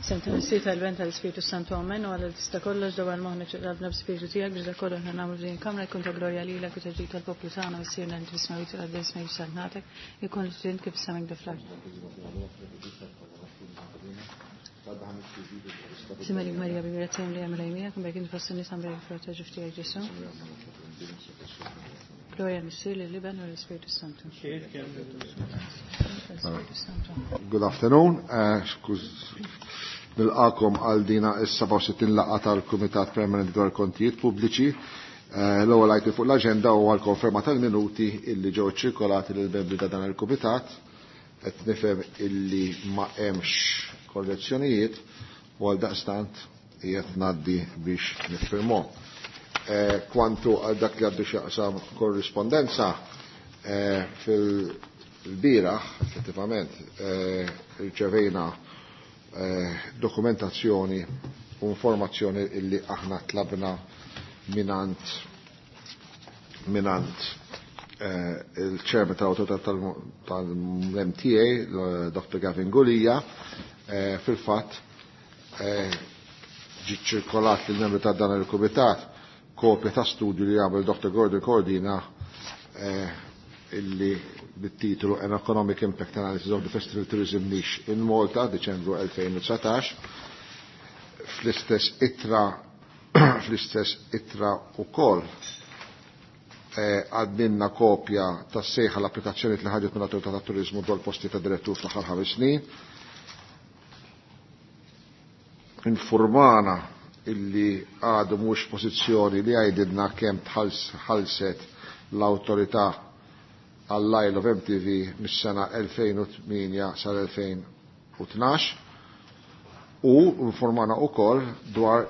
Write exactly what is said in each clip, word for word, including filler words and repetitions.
F'isem tal-Missier, tal-Iben, tal-Ispirtu Santu, amen. U Alla tista' kollox, dawwar moħħna u qalbna bl-Ispirtu tiegħek biex dak kollu aħna nagħmlu f'din il-kamra jkun ta' glorja lilek u ta' ġid tal-poplu tagħna. Missierna li fis-smewwiet, titqaddes ismek, saltnatek, ikun li trid kif fis-sema hekk fl-art. Sliem għalik Marija, bil-grazzja mimlija, Mulej miegħek, imberka int fost in-nisa, imberek il-frott ta' ġuf tiegħek Ġesù. Glorja lill-Missier, lill-Iben u l-Ispirtu Santu. L-Ispirtu Santu. Good afternoon. Uh, skuż, nilqakom għal dina is-seba' u sittin laqgħa tal-Kumitat Permanenti dwar Kontijiet Pubbliċi. Uh, L-ewwel item fuq l-aġenda huwa l-konferma tal-minuti illi ġew ċirkolati lil membri ta' dan il-Kumitat. Qed nifhem illi ma hemmx korrezzjonijiet u għal daqstant qiegħed ngħaddi biex niffirmhom. Eh, kwantu għal dak li għandu x'jaqsam korrispondenza, eh, fil-bieraħ, effettivament, eh, rċevejna eh, dokumentazzjoni u informazzjoni illi aħna tlabna mingħand mingħand eh, il-chairman tal-autorità tal-M T A, Doctor Gavin Gulia, eh, fil-fatt eh, ġi ċirkolat lill membri ta' dan il-kumitat kopja ta' studju li għamel Doctor Gordon Cordina eh, illi bit-titlu An Economic Impact Analysis of the Festival Tourism Niche in Malta, Deċembru elfejn u dsatax. Fl-istess ittra fl-istess ittra ukoll eh, għaddinna kopja ta' sejħa l-applikazzjoni li ħarġet mill-Autorità ta' Turizmu dwar posti ta' direttur fl-aħħar ħames snin. Informana illi għadu mhux pożizzjoni li għajdidna kemm tħallset l-autorità għall-Isle of M T V mis-sena elfejn u tmienja sal-elfejn u tnax u informana ukoll dwar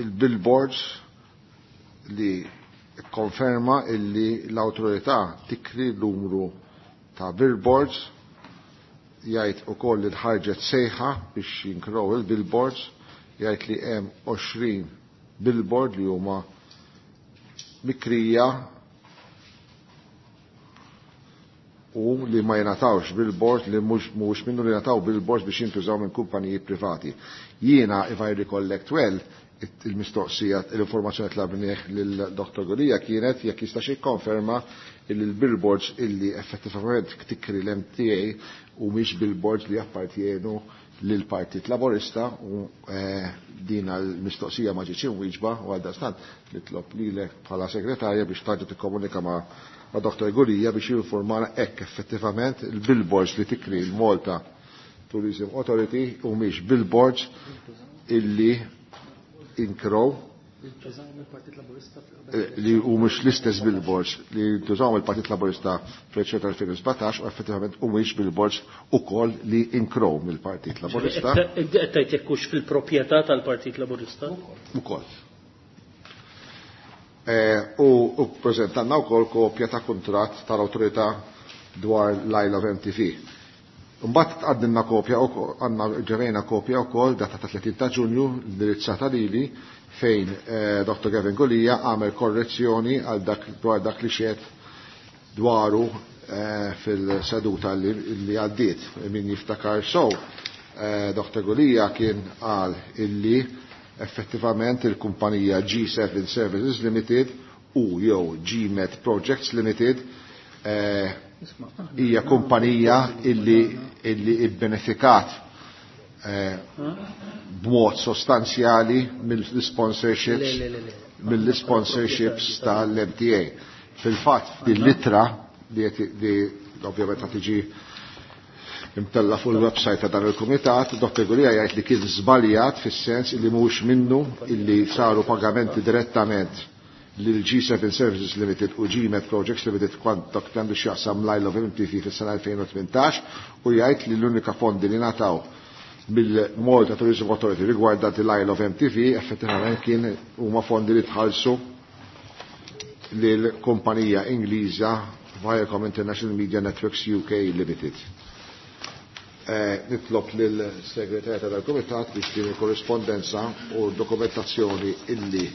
il-billboards li konferma illi l-autorità tikri l-numru ta' billboards. Jgħid ukoll li ħarġet sejħa biex jinkrow il-billboards, jgħid li hemm għoxrin billboard li huma mikrija u li ma jingħatawx billboard, li mhux mhux minnu li jingħataw billboards biex jintużaw minn kumpaniji privati. Jiena, if I recollect well, il-mistoqsija, l-informazzjoni tlabnieh lil Doctor Gulia kienet jekk jistax jikkonferma li l-billboards illi effettivament tikri l-M T A u mhix billboards li appartjenu lil Partit Laborista u eh, din l-mistoqsija ma ġietx imwieġba u għal daqstant nitlob lilek bħala segretarja biex tarġa' tikkomunika ma' ma' Doctor Gulia biex jinformana hekk effettivament il-billboards li tikri l-Malta Tourism Authority u mhix billboards illi inkrow li u mhux l-istess billboards li ntużaw mill-Partit Laburista fl-elezzjoni tal-elfejn u sbatax u effettivament u mhix billboards ukoll li inkrow mill-Partit Laburista. Qed tgħid jekk hux fil-proprjetà tal-Partit Laburista? Ukoll. Eh, U u prezentanna wkoll kopja ta' kuntratt tal-awtorità dwar l-Isle of M T V. Mbagħad għaddinna kopja wkoll, għandna ġevejna kopja wkoll data ta' tletin ta' Ġunju indirizzata lili fejn eh, Doctor Gavin Gulia għamel korrezzjoni għal dak dwar dak li xed dwaru eh, fil-seduta li, li għaddiet. Min jiftakar sow, eh, Doctor Gulia kien qal illi effettivament il-kumpanija G seven Services Limited u jew G MET Projects Limited eh, hija kumpanija illi illi ibbenefikat eh, b'mod sostanzjali mill-sponsorships Le, le, le, le. mill-sponsorships tal-M T A. Fil-fatt, din l-ittra li qed- li ovvjament ta' tiġi imtella fuq il-website ta' dan il-kumitat, Doctor Gulia jgħid li kien żbaljat fis-sens illi mhux minnu illi saru pagamenti direttament lil G seven Services Limited u G MET Projects Limited kwant dak għandu x'jaqsam l-Isle of M T V fis-sena elfejn u tmintax u jgħid li l-unika fondi li ngħataw mill-Malta Tourism Authority rigwardanti l-Isle of M T V effettivament kien huma fondi li tħallsu lil kumpanija Ingliża Viacom International Media Networks U K Limited. Eh, nitlob lil segretarja tal-Kumitat biex din il-korrispondenza u dokumentazzjoni illi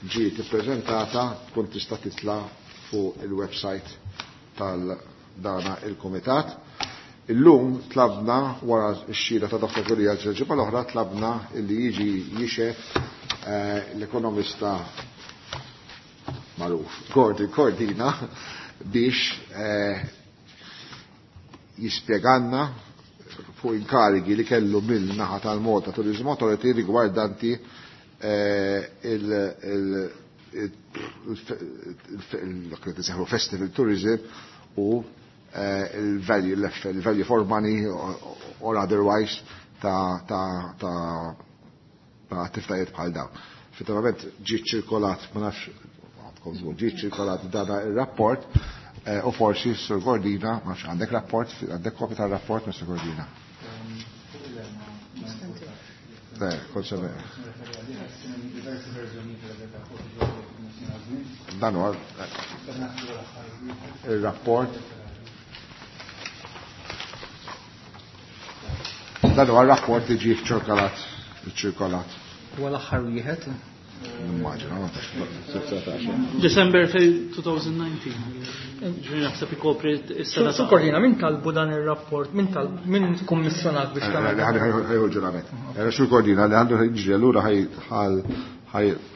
ġiet ippreżentata tkun tista' titla' fuq il-website tal-dana il-Kumitat. Illum tlabna wara x-xhieda ta' Dottor Gulia l-ġimgħa l-oħra tlabna li jiġi jixhed l-ekonomista magħruf Gordon Cordina biex jispjegalna fuq inkarigi li kellu mill-naħa tal-Malta Tourism Authority rigwardanti il Festival Tourism u il-value il-value for money or otherwise ta' ta' ta' ta' attivitajiet bħal dawn. Effettivament ġie ċirkolat, ma nafx ġie ċirkolat dana ir-rapport u forsi Sur Cordina, ma nafx għandek rapport, għandek kopja tar-rapport Mister Cordina. Dan huwa il-rapport. Dan huwa rapport li ġie ċirkolat, ċirkolat. Huwa l-aħħar wieħed? Nimmaġina, ma December twenty nineteen. Ġifieri naħseb ikopri s-sena. Sur Cordina, min talbu dan ir-rapport, min talb, min kummissjonat biex tagħmel? Ħajħu ġurament. Sur Cordina li għandu jiġri allura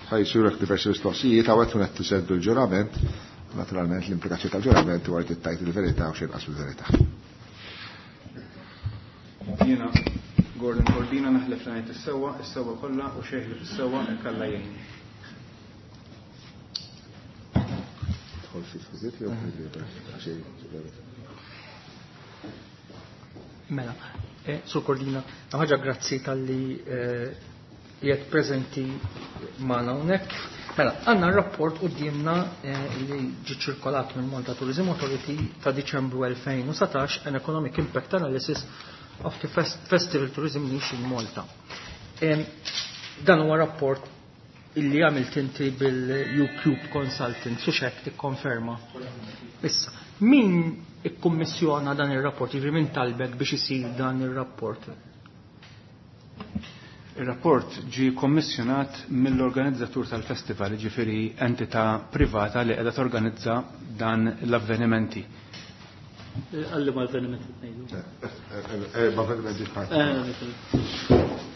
ħajsurek diversi mistoqsijiet hawnhekk tkun qed tiseddu l-ġurament, naturalment l-implikazzjoni tal-ġurament huwa li tittajt il-verità u xi inqas mill-verità. Jiena Gordon Cordina naħlef li ngħid is-sewwa, is-sewwa kollha u xejn li fis-sewwa ikkalla jgħinni. Mela, Sur Cordina, ħaġa grazzi tal-li qiegħed preżenti magħna hawnhekk. Mela, għandna r-rapport quddiemna li ġie ċirkolat minn Malta Tourism Authority ta' Diċembru elfejn u satax, an Economic Impact Analysis of the Festival Tourism Niche in Malta. Dan huwa rapport illi għamilt inti bil-YouCube Consultant, su xek tikkonferma. Issa, min ikkummissjona dan ir-rapport, jiġifieri min talbek biex isir dan ir-rapport? Ir-rapport ġie kommissjonat mill-organizzatur tal-festival, jiġifieri entità privata li qiegħda torganizza dan l-avvenimenti. Għalli ma avvenimenti tnejdu. Ma avvenimenti parti.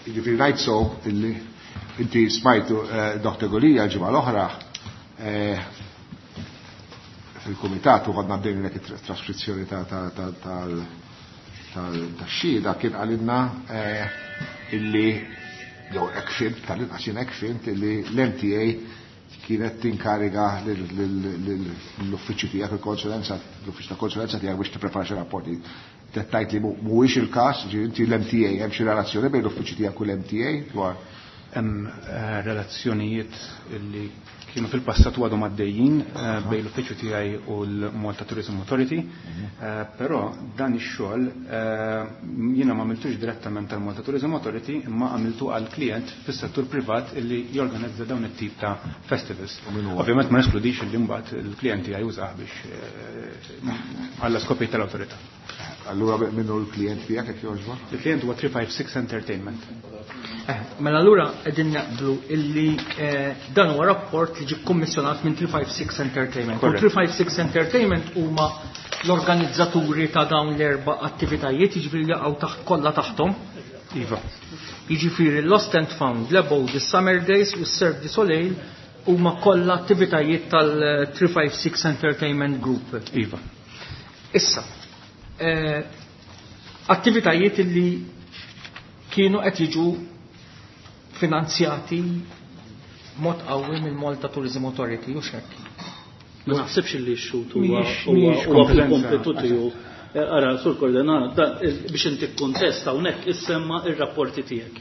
Jiġifieri ngħid so illi inti smajtu Dottor Gulia l-ġimgħa l-oħra fil-kumitat u għadna bdejna dik it-traskrizzjoni tal-xhieda kien qalilna illi jew hekk fhimt, tal-inqas jien hekk fhimt illi l-M T A kienet tinkariga l-uffiċċju tiegħek, il-konsulenza, l-uffiċċju ta' konsulenza tiegħek biex tipprepara xi rapporti. Tettajt li mhuwiex il-każ, ġifieri inti l-M T A hemm xi relazzjoni bejn l-uffiċċju tiegħek u l-M T A dwar hemm relazzjonijiet li kienu fil-passat u għadhom għaddejjin bejn l-uffiċċju tiegħi u l-Malta Tourism Authority, però dan ix-xogħol jiena ma għamiltux direttament tal-Malta Tourism Authority imma għamiltu għal klient fis-settur privat illi jorganizza dawn it-tip ta' festivals. Ovvjament ma neskludix li mbagħad il-klient tiegħi jużah biex għall skopijiet tal-awtorità. Allura minnu l-klient tiegħek jekk jogħġbok? Il-klient huwa three five six Entertainment. Mela allura qegħdin naqblu illi dan huwa rapport li ġie kkummissjonat minn three five six Entertainment. U three five six Entertainment huma l-organizzaturi ta' dawn l-erba' attivitajiet, jiġifieri jaqgħu taħt kollha taħthom. Iva. Jiġifieri Lost and Found, l-Abode, the Summer Days u s-Cirque du Soleil huma kollha attivitajiet tal-three five six Entertainment Group. Iva. Issa, eh, attivitajiet illi kienu qed jiġu finanzjati mod qawwi mill Malta Tourism Authority u xekk. Ma naħsibx li x-xut huwa Mhijiex, huwa mhijiex huwa kompetenza. fil-kompetu tiegħu. Ara, Sur Cordina, biex inti kkontesta hawnhekk issemma ir-rapporti tiegħek.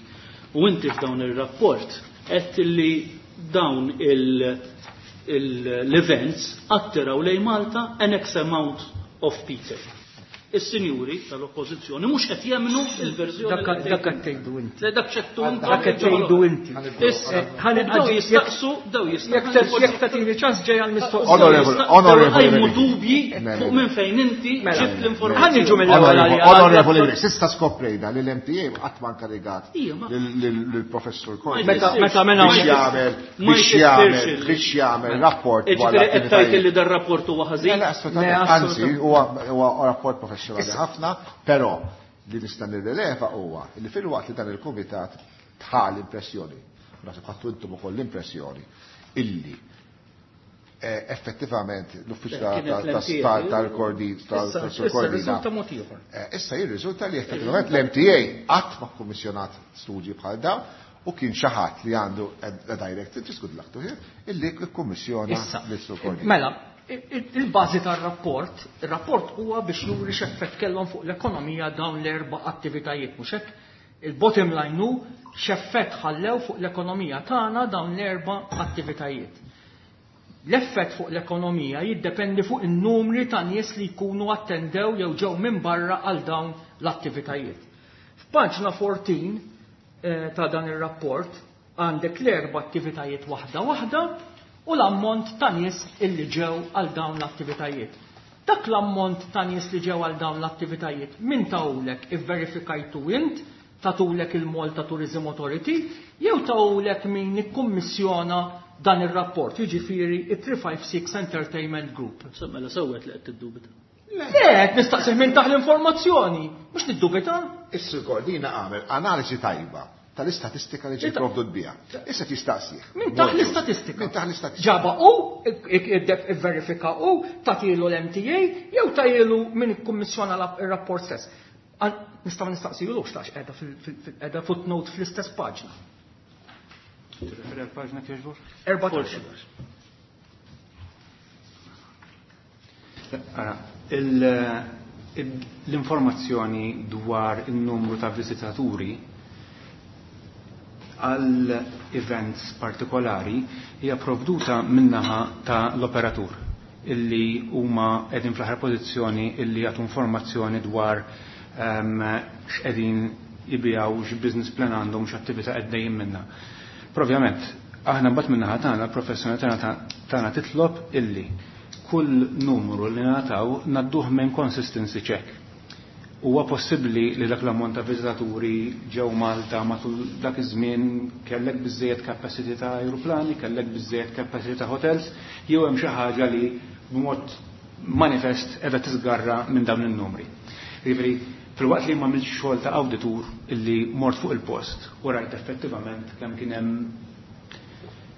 U inti f'dawn ir-rapport qed li dawn il-, il-, l-events attiraw lejn Malta an X amount of people. Is-sinjuri tal-oppożizzjoni mhux qed jemmnu il-verżjoni Dak li qed dak qed tgħidu inti. Le, dak x'qed intom. Dak qed tgħidu inti. Issa, Ħalli daw ħalli jistaqsu, daw jistaqsu. Jekk te-, jekk tagħtini ċans ġej għall-mistoqsija. Onorevole, Daw onorevole qajmu Mary. dubji Mary. fuq minn fejn inti Mela. ġibt l-informazzjoni. Ħalli niġu mill-ewwel Onorevole, għalija. onorevole Mary, s'issa skoprejna li l-M T A qatt ma inkarigat Ija, ma- lill-professur Cordi. Meta, meta mela Biex jagħmel, Ma biex jfissirx jagħmel, il- biex jagħmel rapport dwar Ġifieri qed tgħid l-attivitajiet. li dar rapport huwa ħażin? Le, le, assolutament. Le, Anzi, assolutament. huwa, huwa rapport professjonali. professjonali ħafna, però li nista' nirrileva huwa li filwaqt li dan il-kumitat tħa l-impressjoni, naħseb ħadtu intom ukoll l-impressjoni illi effettivament l-uffiċċju tal-Kordi tal-Kordina. Issa jirriżulta li effettivament l-M T A qatt ma kkummissjonat studji bħal dawn u kien xi ħadd li għandu a direct interest, good luck to him, illi kkummissjona lis-Sur Cordina. Mela, il-bażi tar-rapport, ir-rapport huwa biex juri x'effett kellhom fuq l-ekonomija dawn l-erba' attivitajiet, mhux hekk? Il-bottom line hu x'effett ħallew fuq l-ekonomija tagħna dawn l-erba' attivitajiet. L-effett fuq l-ekonomija jiddependi fuq in-numri ta' nies li jkunu attendew jew ġew minn barra għal dawn l-attivitajiet. F'paġna fourteen ta' dan ir-rapport għandek l-erba' attivitajiet waħda waħda u l-ammont ta' nies illi ġew għal dawn l-attivitajiet. Dak l-ammont ta' nies li ġew għal dawn l-attivitajiet min tawlek ivverifikajtu int, tatulek il-Malta Tourism Authority, jew tawlek min ikkummissjona dan ir-rapport, jiġifieri it-three five six Entertainment Group. Mela sewwet li qed tiddubita. Le, qed nistaqsih minn taħ l-informazzjoni, mhux niddubita. Is-Sur Cordina għamel analiżi tajba tal-istatistika li ġiet provdut biha. Issa tistaqsih. Min taħ l-istatistika. Min taħ l-istatistika. Ġaba u, ivverifika u, tagħtilu l-M T A jew tagħtilu min ikkummissjona r-rapport stess. Nistgħu nistaqsilu x'tax qiegħda qiegħda footnote fl-istess paġna. Tirreferi għal paġna kieġbor? Erbatax. Ara, l-informazzjoni dwar il-numru ta' viżitaturi għal events partikolari hija provduta minnaħa ta' l-operatur illi huma qegħdin fl-aħħar pożizzjoni illi jagħtu informazzjoni dwar x'qegħdin jibigħu, x'business plan għandhom, x'attività qegħdejjin minnha. Però ovvjament, aħna mbagħad min-naħa tagħna, l-professjoni tagħna tagħna titlob illi kull numru li nagħtaw ngħadduh minn consistency check. Huwa possibbli li dak l-ammont ta' viżitaturi ġew Malta matul dak iż-żmien kellek biżżejjed capacity ta' ajruplani, kellek biżżejjed capacity ta' hotels, jew hemm xi ħaġa li b'mod manifest qiegħda tiżgarra minn dawn in-numri. Jiġifieri, filwaqt li ma għamiltx xogħol ta' awditur illi mort fuq il-post u rajt effettivament kemm kien hemm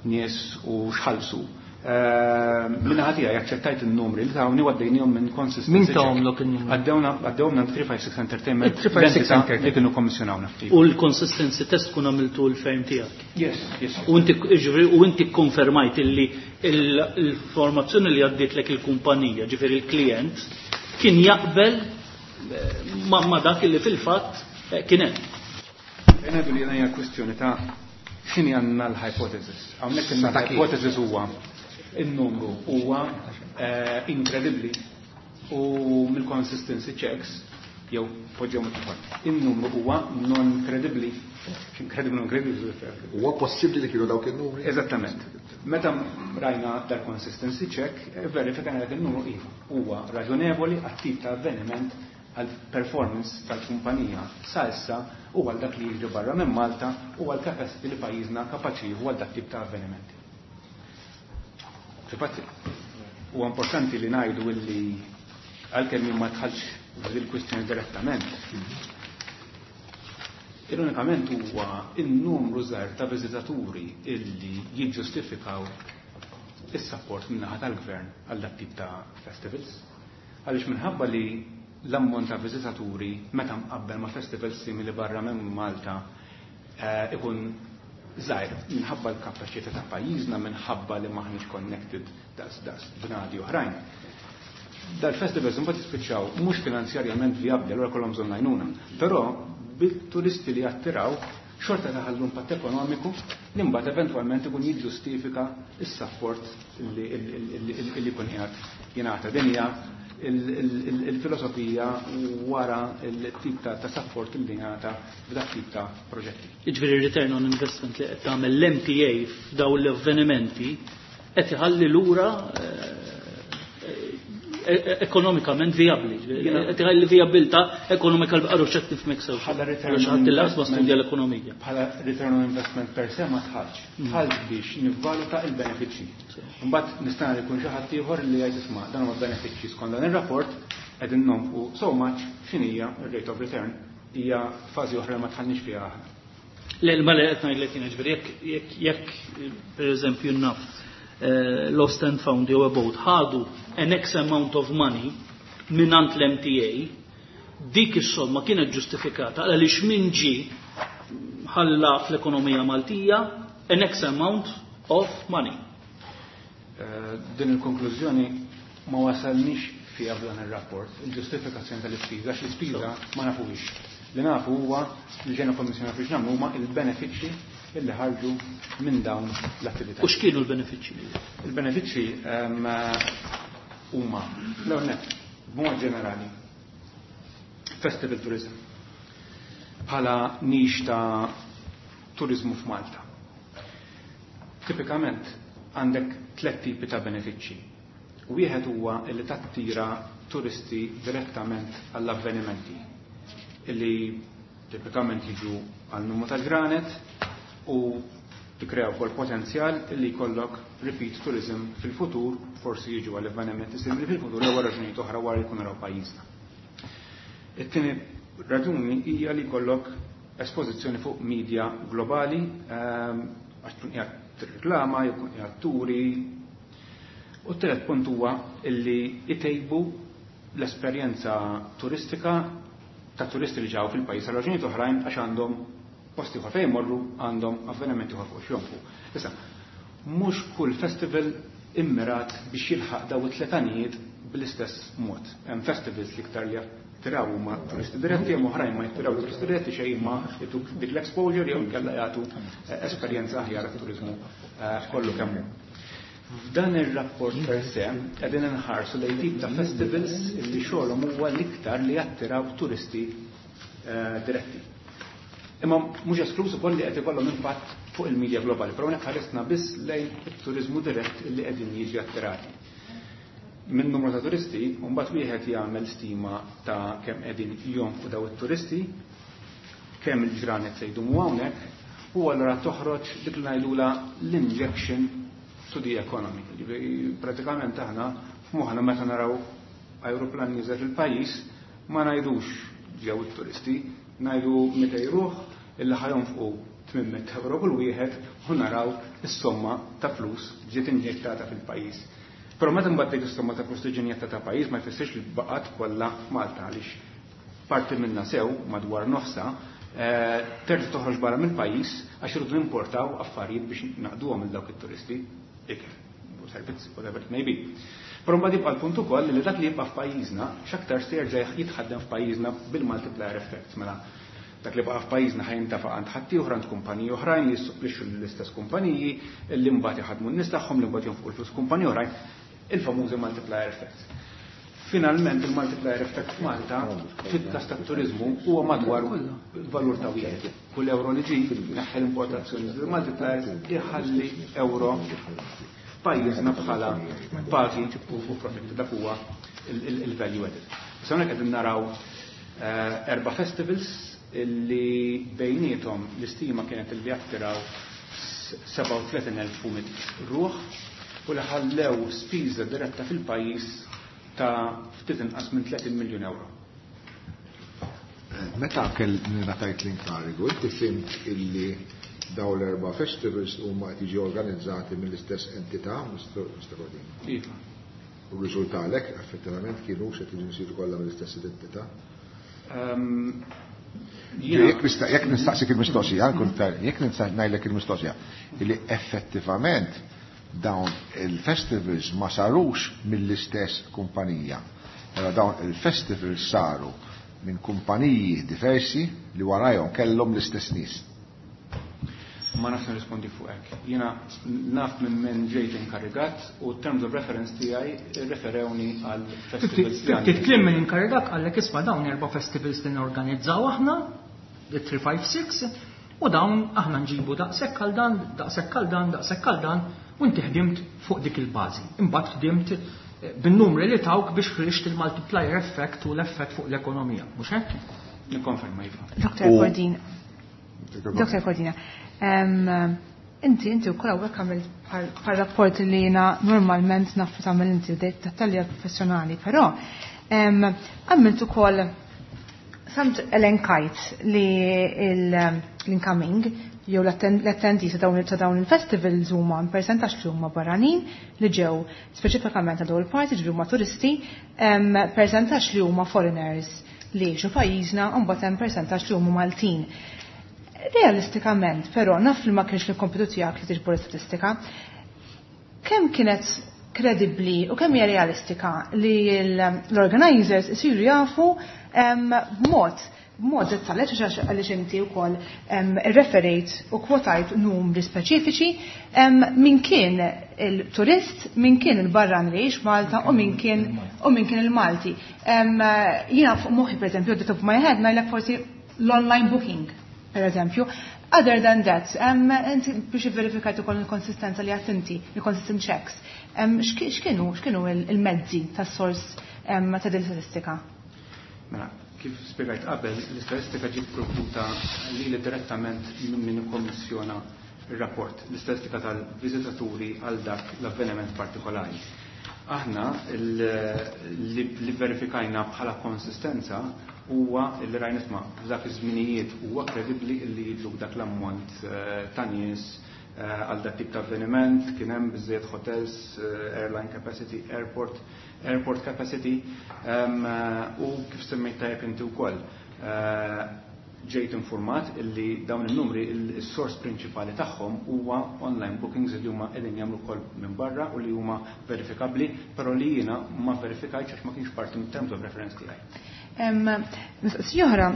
nies u x'ħallsu. Minna ħatija jaċċettajt il-numri li tawni għaddejnihom minn consistency. Min tawhomlok il-numri? Għaddewna, għaddewna three five six Entertainment. Three five six L-entità Entertainment. li kienu kommissjonawna ftit. U l-consistency test kun għamiltu l-fejm tiegħek? Yes, yes. U inti, ġifieri, u inti konfermajt illi l-formazzjoni li għaddietlek il-kumpanija, ġifieri il-klient, kien jaqbel ma, ma dak illi fil-fatt kien hemm. Jena li hija kwestjoni ta' x'inhi għandna l-hypothesis. Hawnhekk għandna l-hypothesis huwa il-numru huwa inkredibbli u mill-consistency checks jew poġġew mill-ieħor. Il-numru huwa non kredibbli. Inkredibbli, non kredibbli. Huwa possibbli li kienu dawk il-numri? Eżattament. Meta rajna dal-consistency check, verifikajna dak il-numru iva. Huwa raġonevoli għat-tip ta' avveniment għal performance tal-kumpanija sa issa u għal dak li jiġri barra minn Malta u għal capacity li pajjiżna kapaċi jieħu għal dak tip ta' avvenimenti. Fil-fatt, huwa importanti li ngħidu illi għalkemm jien ma dħalx fil-kwistjoni direttament, ironikament huwa in-numru żgħir ta' viżitaturi illi jiġġustifikaw is-support min-naħa tal-gvern għal dak tip ta' festivals. Għaliex minħabba li l-ammont ta' viżitaturi meta mqabbel ma' festivals simili barra minn Malta ikun żgħir minħabba l-kapaċità ta' pajjiżna, minħabba li maħniex connected daqs daqs bnadi oħrajn. Dal-festivals imbagħad jispiċċaw mhux finanzjarjament vijabbli, allura kollhom bżonn għajnuna. Però bil-turisti li jattiraw xorta taħallu impatt ekonomiku li mbagħad eventwalment ikun jiġġustifika s-support li jkun qiegħed jingħata. Din hija il-filosofija wara il-tip ta' support li jingħata f'dak tip ta' proġetti. Jiġifieri return on investment li qed tagħmel l-M T A f'dawn l-avvenimenti qed iħalli lura ekonomikament vijabbli. Qed iħalli vijabilità ekonomika l-bqaru x'qed nifhmek sew. Bħala return Għax on ħadd il-laqas ma investment studja l-ekonomija. Bħala return on investment per se ma tħallx. Tħallx biex nivvaluta il-benefiċċji. Mbagħad nista' jkun xi ħadd ieħor li jgħid isma' dan huma benefiċċji skont dan ir-rapport, Qegħdin nonfqu so much, x'inhija r-rate of return, hija fażi oħra ma tħallniex fiha aħna. Le, ma le qed ngħidlek jien, ġifieri jekk jekk pereżempju naf eh, Lost and Found jew About ħadu an X amount of money mingħand l-M T A, dik is-somma kienet ġustifikata għaliex min ġi ħalla fl-ekonomija Maltija an X amount of money. Eh, din il-konklużjoni ma wasalniex fiha f'dan ir-rapport, il-ġustifikazzjoni tal-ispiża, għax l-ispiża ma nafux. Li nafu huwa li ġejna kommissjoni biex nagħmlu huma il-benefiċċji illi ħarġu minn dawn l-attività. U x'kienu l-benefiċċji? Il-benefiċċji ehm, huma l-ewwel nett, b'mod ġenerali, festival tourism bħala niche ta' turizmu f'Malta. Tipikament għandek tlet tipi ta' benefiċċji. Wieħed huwa li tattira turisti direttament għall-avvenimenti illi tipikament jiġu għal numru ta' ġranet u tikkrea wkoll potenzjal illi jkollok repeat tourism fil-futur, forsi jiġu għall avvenimenti simili fil-futur jew raġunijiet oħra wara li jkunu raw pajjiżna. It-tieni raġuni hija li jkollok espożizzjoni fuq media globali ehm, għax tkun qiegħed tirreklama jew tkun qiegħed turi. U t-tielet punt huwa illi itejbu l-esperjenza turistika ta' turisti li ġew fil-pajjiż għal raġunijiet oħrajn, għax għandhom posti oħra fejn jmorru, għandhom avvenimenti oħra fuq x'jonfqu. Issa, mhux kull festival immirat biex jilħaq daw it-tliet għanijiet bl-istess mod. Hemm festivals li iktar li jattiraw huma turisti diretti, hemm oħrajn ma jattiraw turisti diretti xejn, ma jtuk dik l-exposure jew inkella jagħtu eh, esperjenza aħjar għat-turiżmu eh, kollu kemm hu. F'dan ir-rapport per se qegħdin inħarsu lejn tip ta' festivals li xogħolhom huwa l-iktar li jattiraw turisti eh, diretti. Imma mhux esklus ukoll li qed ikollhom impatt fuq il-medja globali, però hawnhekk ħaresna biss lejn it-turiżmu dirett li qegħdin jiġi attirati. Minn numru ta' turisti, mbagħad wieħed jagħmel stima ta' kemm qegħdin jonfqu daw it-turisti, kemm il-ġranet se jdumu hawnhekk, u allura toħroġ dik li ngħidula l-injection to the economy. Ġifieri, pratikament aħna f'moħħna meta naraw aeroplan nieżel fil-pajjiż ma ngħidux ġew it-turisti, ngħidu mitejn ruħ illi ħa jonfqu tmien mitt euro kull wieħed u naraw is-somma ta' flus ġiet injettata fil-pajjiż. Però meta mbagħad dik is-somma ta' flus tiġi injettata pajjiż, ma jfissirx li baqgħet kollha f'Malta, għaliex parti minna sew madwar nofsa eh, terġa' toħroġ barra mill-pajjiż, għax irridu nimportaw affarijiet biex naqduhom lil dawk it-turisti, ikel, servizzi, whatever it may be. Però mbagħad jibqa' l-punt ukoll li dak li jibqa' f'pajjiżna x'aktar se jerġa' jitħaddem f'pajjiżna bil-multiplier effect. Mela dak li baqa' f'pajjiżna ħa jintafaq għand ħaddieħor, għand kumpaniji oħrajn li jissupplixxu l-istess kumpaniji li mbagħad iħadmu n-nies tagħhom, li mbagħad jonfqu l-flus kumpaniji oħrajn, il-famużi multiplier effects. Finalment il-multiplier effect f'Malta fil-każ tat-turiżmu huwa madwar valur ta' wieħed. Kull euro li ġi neħħel l-importazzjoni, il-multiplier iħalli euro pajjiżna bħala pagi u profitt, dak huwa il-value added. Issa hawnhekk qegħdin naraw eh, erba' festivals illi bejniethom l-istima kienet illi attiraw sebgħa u tletin elf ruħ u li ħallew spiża diretta fil-pajjiż ta' ftit inqas minn tletin miljun euro. Meta kell ngħatajt l-inkarigu, inti fhimt illi daw l-erba' festivals huma qed jiġi organizzati mill-istess entità, Mister Cordina? Iva. U riżultalek effettivament kienu x'qed jiġu jsiru kollha mill-istess identità? Ehm, Jekk nista- jekk nistaqsik il-mistoqsija, nkun ta- jekk nista' ngħidlek il-mistoqsija, illi effettivament dawn il-festivals ma sarux mill-istess kumpanija. Allora dawn il-festivals saru minn kumpaniji diversi li warajhom kellhom l-istess nies. Ma nafx nirrispondi fuq hekk. Jiena naf minn minn ġejt inkarigat u terms of reference tiegħi referewni għal festivals li għandi. Ftit kliem, minn inkarigat għallek, isma', dawn erba' festivals li norganizzaw aħna, il-tlieta ħamsa sitta, u dawn aħna nġibu daqshekk għal dan, daqshekk għal dan, daqshekk għal dan, u inti ħdimt fuq dik il-bażi. Imbagħad ħdimt eh, bin-numri li tawk biex ħriġt il-multiplier effect u l-effett fuq l-ekonomija. Mhux hekk? Nikkonferma, iva. Doktor U- Cordina, Doktor Cordina, em, inti inti u kolla għamilt bħal rapport li jiena normalment naf tagħmel inti, dettalji professjonali, però Għamilt ukoll samt elenkajt li l-incoming jew l-attendees ta' dawn il-festivals huma percentaġġ li huma barranin li ġew speċifikament ta' dawn il-party, ġifieri huma turisti, percentaġġ li huma foreigners li jgħixu pajjiżna u mbagħad hemm percentaġġ li huma Maltin. Realistikament, però naf li ma kienx il-kompitu tiegħek li tiġbor statistika, kemm kienet kredibbli u kemm hija realistika li l-organizers isiru jafu b'mod b'mod dettaljat għax għaliex inti wkoll irreferejt u kwotajt numri speċifiċi min kien il-turist, min kien il-barran li jgħix Malta u min kien u min kien il-Malti. Jiena fuq moħħi pereżempju, the top of my head ngħidlek forsi l-online booking, per eżempju. Other than that, inti biex verifikajt ukoll il-konsistenza li għat inti, il-consistent checks. X'kienu x'kienu il-mezzi tas-sors ta' din statistika? Mela, kif spiegajt qabel, l-istatistika ġiet provduta li direttament minn min ikkommissjona il-rapport, l-istatistika tal-viżitaturi għal dak l-avveniment partikolari. Aħna li verifikajna bħala konsistenza huwa li rajna isma' f'dak iż-żminijiet huwa kredibbli li jiġu dak l-ammont ta' nies għal dak tip ta' avveniment, kien hemm biżejjed hotels, airline capacity, airport, airport capacity, u kif semmejt tajjeb inti wkoll. Ġejt informat illi dawn il-numri il-sors prinċipali tagħhom huwa online bookings li huma qegħdin jagħmlu wkoll minn barra u li huma verifikabbli, però li jiena ma verifikajtx għax ma kienx parti mit-terms of reference tiegħi. Mistoqsija oħra,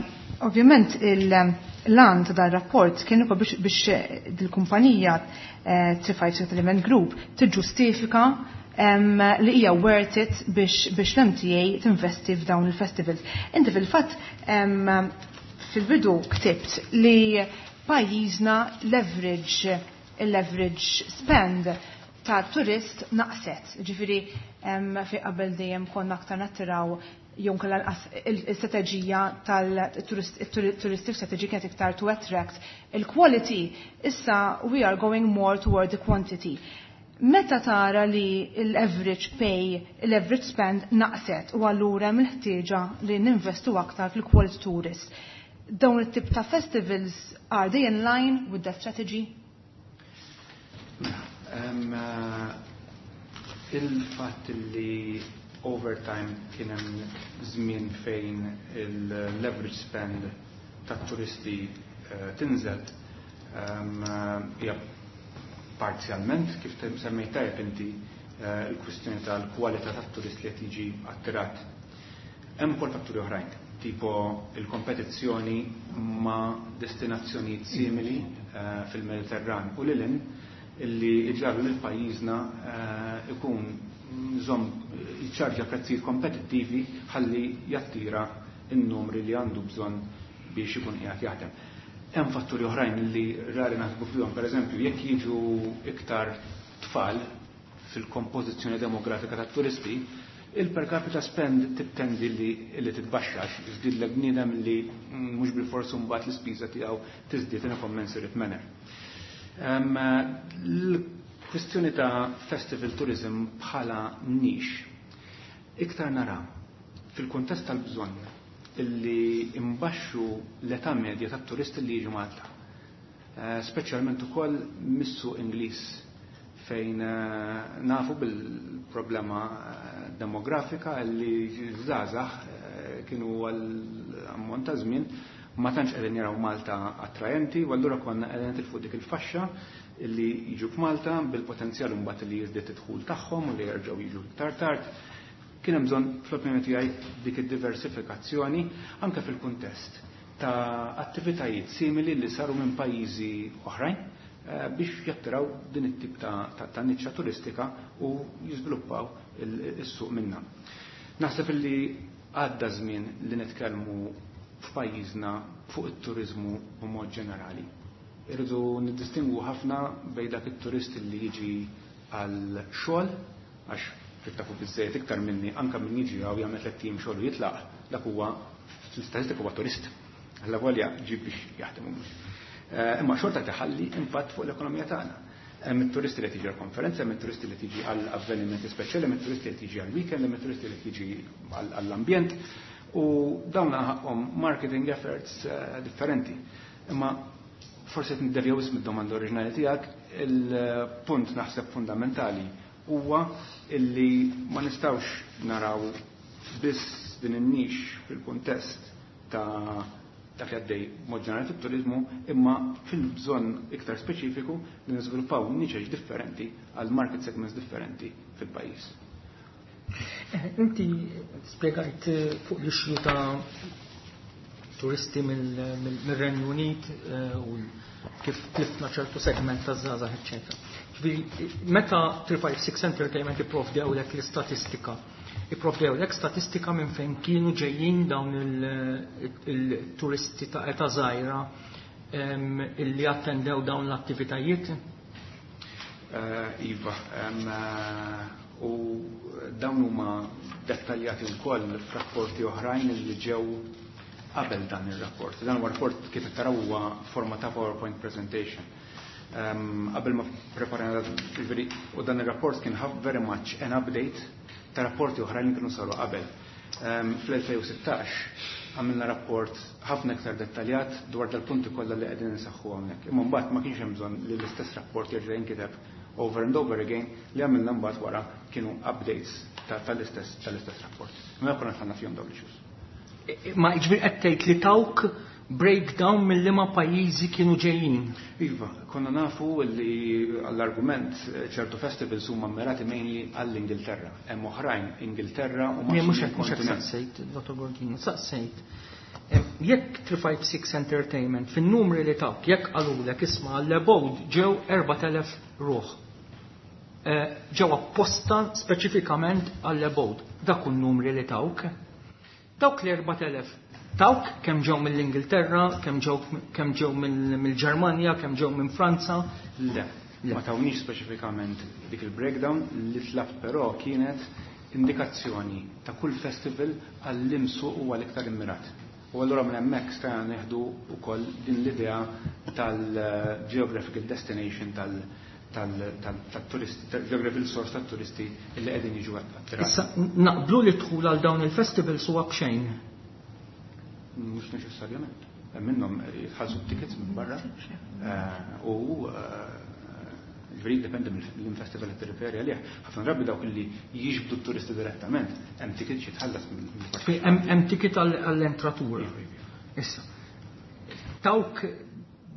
ovvjament l-għan ta' dan rapport kien ukoll biex dil-kumpanija three five six Element Group tiġġustifika li hija worth it biex l-M T A tinvesti f'dawn il-festivals. Inti fil-fatt fil-bidu ktibt li pajjiżna l-average l-average spend ta' turist naqset. Ġifieri fi qabel dejjem konna aktar nattiraw jew kellha il-strateġija tal-touristic strategy kienet iktar to attract il-quality, issa we are going more toward the quantity. Meta tara li l-average pay, l-average spend naqset u allura mill-ħtieġa li ninvestu aktar fil-quality tourist, dawn it-tip ta' festivals, are they in line with that strategy? Um, uh, il-fatt li overtime kien hemm żmien fejn il-leverage spend tat-turisti uh, tinżel um, hija parzjalment kif semmejt tajjeb inti uh, il-kwistjoni tal-kwalità tat-turist li qed jiġi attirat. Hemm ukoll fatturi oħrajn, tipo il-kompetizzjoni ma' destinazzjonijiet simili uh, fil-Mediterran u lil hinn illi iġagħlu lil pajjiżna uh, ikun żomm jiċċarġa prezzijiet kompetittivi ħalli jattira n-numri li għandu bżonn biex ikun qiegħed jaħdem. Hemm fatturi oħrajn li rari naħsbu fihom, pereżempju, jekk jiġu iktar tfal fil-kompożizzjoni demografika tat-turisti, il-per capita spend tittendi li, li titbaxxax, jiżdiedlek bniedem li mhux bil-forsu mbagħad l-ispiża tiegħu tiżdied in a commensurate manner. Um, L-kwistjoni ta' festival tourism bħala niche, iktar nara fil-kuntest tal-bżonn illi imbaxxu l-età medja tat-turisti li jiġu Malta. Uh, speċjalment ukoll mis-suq Ingliż fejn uh, nafu bil-problema uh, demografika li żgħażagħ kienu għal ammont ta' żmien ma tantx qegħdin jaraw Malta attrajenti u allura konna qegħdin nitilfu dik il-faxxa illi jiġu f'Malta bil-potenzjal mbagħad li jiżdied id-dħul tagħhom u li jerġgħu jiġu iktar tard. Kien hemm bżonn fl-opinjoni tiegħi dik id-diversifikazzjoni anke fil-kuntest ta' attivitajiet simili li saru minn pajjiżi oħrajn biex jattiraw din it-tip ta', ta, ta' niċċa turistika u jiżviluppaw is-suq minna. Naħseb illi għadda żmien li nitkellmu f'pajjiżna fuq it-turizmu b'mod ġenerali. Irridu niddistingwu ħafna bejn dak it-turist li jiġi għal xogħol, għax kif tafu biżejjed iktar minni, anke min jiġi hawn jagħmel tliet ijiem xogħol u jitlaq, dak huwa fl-istatistika huwa turist. Alla volja ġib biex jaħdem mhux. Imma xorta tħalli impatt fuq l-ekonomija tagħna. Hemm it-turisti li tiġi għall-konferenza, hemm it-turisti li tiġi għall avvenimenti speċjali, hemm it-turisti li tiġi għall-weekend, hemm it-turisti li tiġi għall-ambjent u dawn ħaqqhom marketing efforts eh, differenti. Imma forsi qed niddevjaw wisq mid-domanda oriġinali tiegħek, il-punt naħseb fundamentali huwa illi ma nistgħux naraw biss din in-niche fil-kuntest ta' dak li għaddej mod ġenerali fit-turizmu, imma fil-bżonn iktar speċifiku li niżviluppaw niċeċ differenti għal market segments differenti fil-pajjiż. Eh, inti spjegajt eh, fuq l-issue ta' turisti mill-Renju Unit eh, u kif tlifna ċertu segment ta' żgħażagħ, eċċetera. Ġifieri, meta tlieta ħamsa sitta Entertainment ipprovdewlek l-istatistika, ipprovdewlek statistika minn fejn kienu ġejjin dawn il-turisti ta' età żgħira illi attendew dawn l-attivitajiet? Eh, iva, eh, u dawn huma dettaljati wkoll f'rapporti oħrajn li ġew qabel dan ir-rapport. Dan huwa rapport, kif taraw, huwa forma ta' PowerPoint presentation. Qabel ma preparajna, u dan ir-rapport kien very much an update ta' rapporti oħrajn li kienu saru qabel. Fl-elfejn u sittax għamilna rapport ħafna iktar dettaljat dwar dal-punti kollha li qegħdin insaħħu hawnhekk. Imma mbagħad ma kienx hemm bżonn li l-istess rapport jerġa' jinkiteb over and over again. Li għamilna mbagħad wara kienu updates tal-istess tal-istess rapport. Ma konna dħalna fihom dawn l-issues. Ma ġifieri qed tgħid li tawk breakdown mill-liema pajjiżi kienu ġejjin? Iva, konna nafu li għall-argument ċertu festivals huma mmirati mainly għall-Ingilterra. Hemm oħrajn Ingilterra u Mhux hekk, mhux hekk saqsejt, Dottor Bordino, saqsejt. Jekk tlieta ħamsa sitta Entertainment fin-numri li tawk, jekk qalulek, isma', għall-Abode ġew erbat elef ruħ. Eh, ġew apposta speċifikament għall-Abode. Dak numri li tawk. Dawk li erbat elef tawk kemm ġew mill-Ingilterra, kemm ġew kemm ġew mill-Ġermanja, kemm ġew minn Franza? Le, ma tawniex speċifikament dik il-breakdown. Li tlabt però kienet indikazzjoni ta' kull festival għal suq u għal iktar immirat. U allura minn hemmhekk stajna neħdu wkoll din l-idea tal-geographical destination tal- tal-turisti, geographical source tat-turisti illi qegħdin jiġu attirati. Issa naqblu li dħul għal dawn il-festivals huwa b'xejn? Mhux neċessarjament. Hemm minnhom jitħallsu tickets minn barra eh, u eh, ġifieri jiddependi mill-festival li tirreferi għalih. Ħafna drabi dawk li jiġbdu t-turisti direttament hemm ticket jitħallas. Hemm ticket għall-entratura. Issa. Tawk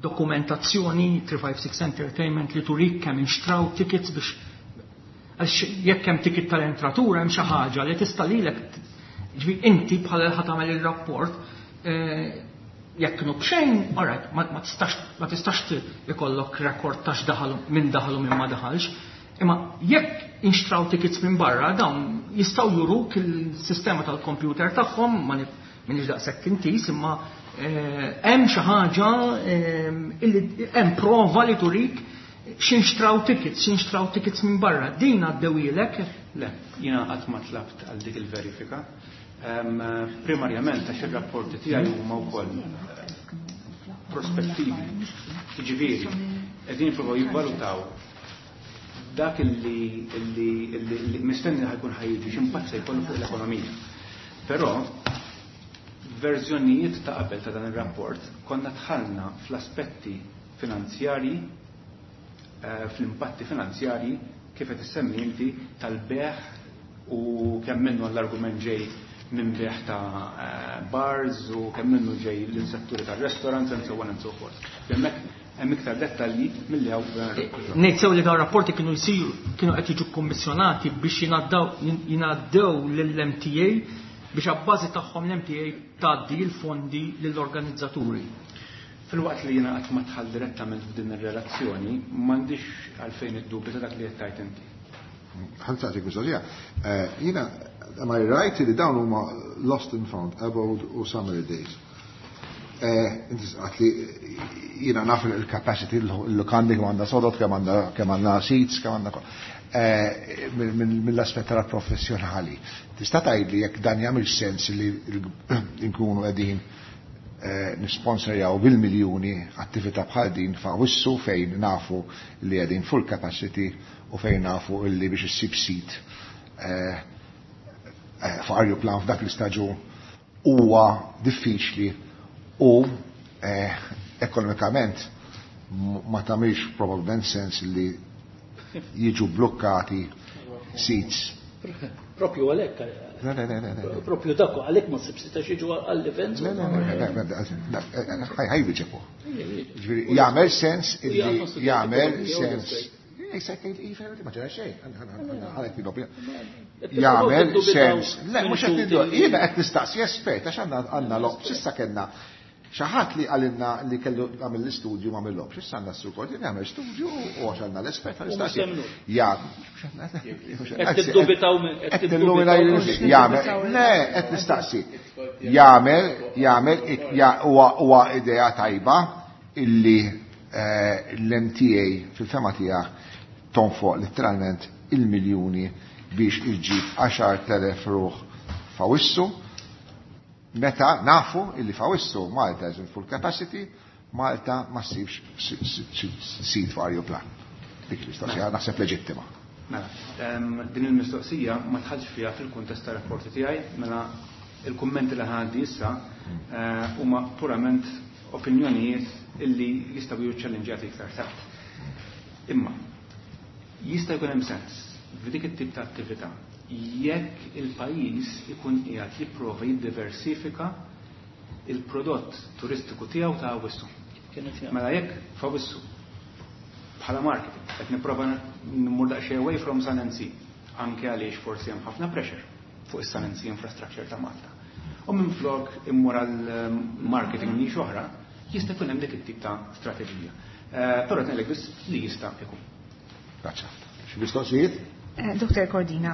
dokumentazzjoni tlieta ħamsa sitta Entertainment li turik kemm inxtraw tickets, biex għax jekk hemm ticket tal-entratura hemm xi ħaġa li tista' lilek, ġifieri inti bħala ħa tagħmel ir-rapport, eh, jekk kienu b'xejn, alright, ma tistax ma tistax ikollok rekord ta' x'daħalu, min daħalu, min ma daħalx. Imma jekk inxtraw tickets minn barra, dawn jistgħu juruk il-sistema tal-computer tagħhom, ma minix daqshekk intis, imma eh, hemm xi ħaġa eh, illi hemm prova li turik x'inxtraw tickets, x'inxtraw tickets minn barra. Din għaddewilek? Le, jiena qatt ma tlabt għal dik il-verifika. Primarjament għax ir-rapporti tiegħi huma wkoll prospettivi. Jiġifieri, qegħdin jippruvaw jivvalutaw dak illi illi mistenni ħa jkun ħa jiġi, x'impatt se jkollu fuq l-ekonomija. Però verżjonijiet ta' qabel ta' dan ir-rapport konna dħalna fl-aspetti finanzjarji, eh, fl-impatti finanzjarji kif qed issemmi inti tal-bejgħ u kemm minnu l-argument ġej minn bejgħ ta' eh, bars u kemm minnu ġej l-setturi tar-restaurants and so on and so forth. Hemmhekk hemm iktar dettalji milli hawn. Ngħid sew li dawn rapporti kienu jsiru kienu qed jiġu kommissjonati biex jingħaddew lill-M T A biex abbażi tagħhom l-M T A tgħaddi l-fondi lill-organizzaturi? Filwaqt li jiena qatt ma dħalt direttament f'din ir-relazzjoni, m'għandix għalfejn id-dubju ta' dak li qed tgħid inti. Ħa nsaqsik mistoqsija. Eh, jiena, am I right li dawn huma Lost and Found, Abode u Summer Days? Eh, inti għedt li jiena naf il-capacity, il-lukandi kemm għandha sodod, kemm għandha kemm għandha seats, kemm għandha eh, mill-aspett tal-professjonali. Tista' tgħidli jekk dan jagħmel sens li nkunu qegħdin eh, nisponsorjaw bil-miljuni attività bħal din f'Awwissu fejn nafu li qegħdin full capacity u fejn nafu illi biex issib seat eh, eh, fuq ajruplan f'dak l-istaġun huwa diffiċli u eh, ekonomikament ma tagħmilx probabbilment sens li jiġu blokkati seats. Propju għalhekk. Le, le, le, le, le. Propju dak għalhekk ma ssib seat jiġu għall-events. Le, le, le, le, le, ħaj biġepu. Ġifieri, jagħmel sens illi jagħmel sens. Ma ġara xejn, ħalet Jagħmel sens. Le, mhux qed niddu, jiena qed nistaqsi espert għax għandna għandna lob, s'issa kellna xi ħadd li qalilna li kellu għamil l-istudju ma għamil Issa għandna s-sur jagħmel studju u għax għandna l-espert nistaqsi. Ja, Qed tiddubitaw qed jagħmel, le, qed nistaqsi. Jagħmel, jagħmel, huwa idea tajba illi l-M T A fil-fehma tiegħek tonfoq letteralment il-miljuni biex iġġib għaxart elef ruħ f'Awissu, meta nafu illi f'Awissu Malta is in full capacity, Malta ma ssibx seat fuq ajruplan. Dik l-istoqsija naħseb leġittima. Mela, din il-mistoqsija ma dħaltx fiha fil-kuntest ta' rapporti tiegħi, mela il-kummenti li ħaddi issa eh, huma purament opinjonijiet illi jistgħu jiġu challengejati iktar tard. Imma jista' jkun hemm sens f'dik it-tip ta' attività jekk il-pajjiż ikun qiegħed jipprova jiddiversifika il-prodott turistiku tiegħu ta' Awwissu. Mela jekk f'Awwissu bħala marketing qed nipprova nmur daqsxejn away from Sun and Sea, anke għaliex forsi hemm ħafna pressure fuq is-Sun and Sea infrastructure ta' Malta. U minn flok immur għal marketing niche oħra, jista' jkun hemm dik it-tip ta' strateġija. Eh, però ngħidlek biss li jista' jkun. Grazzi. Xi mistoqsijiet? Eh, Doktor Cordina,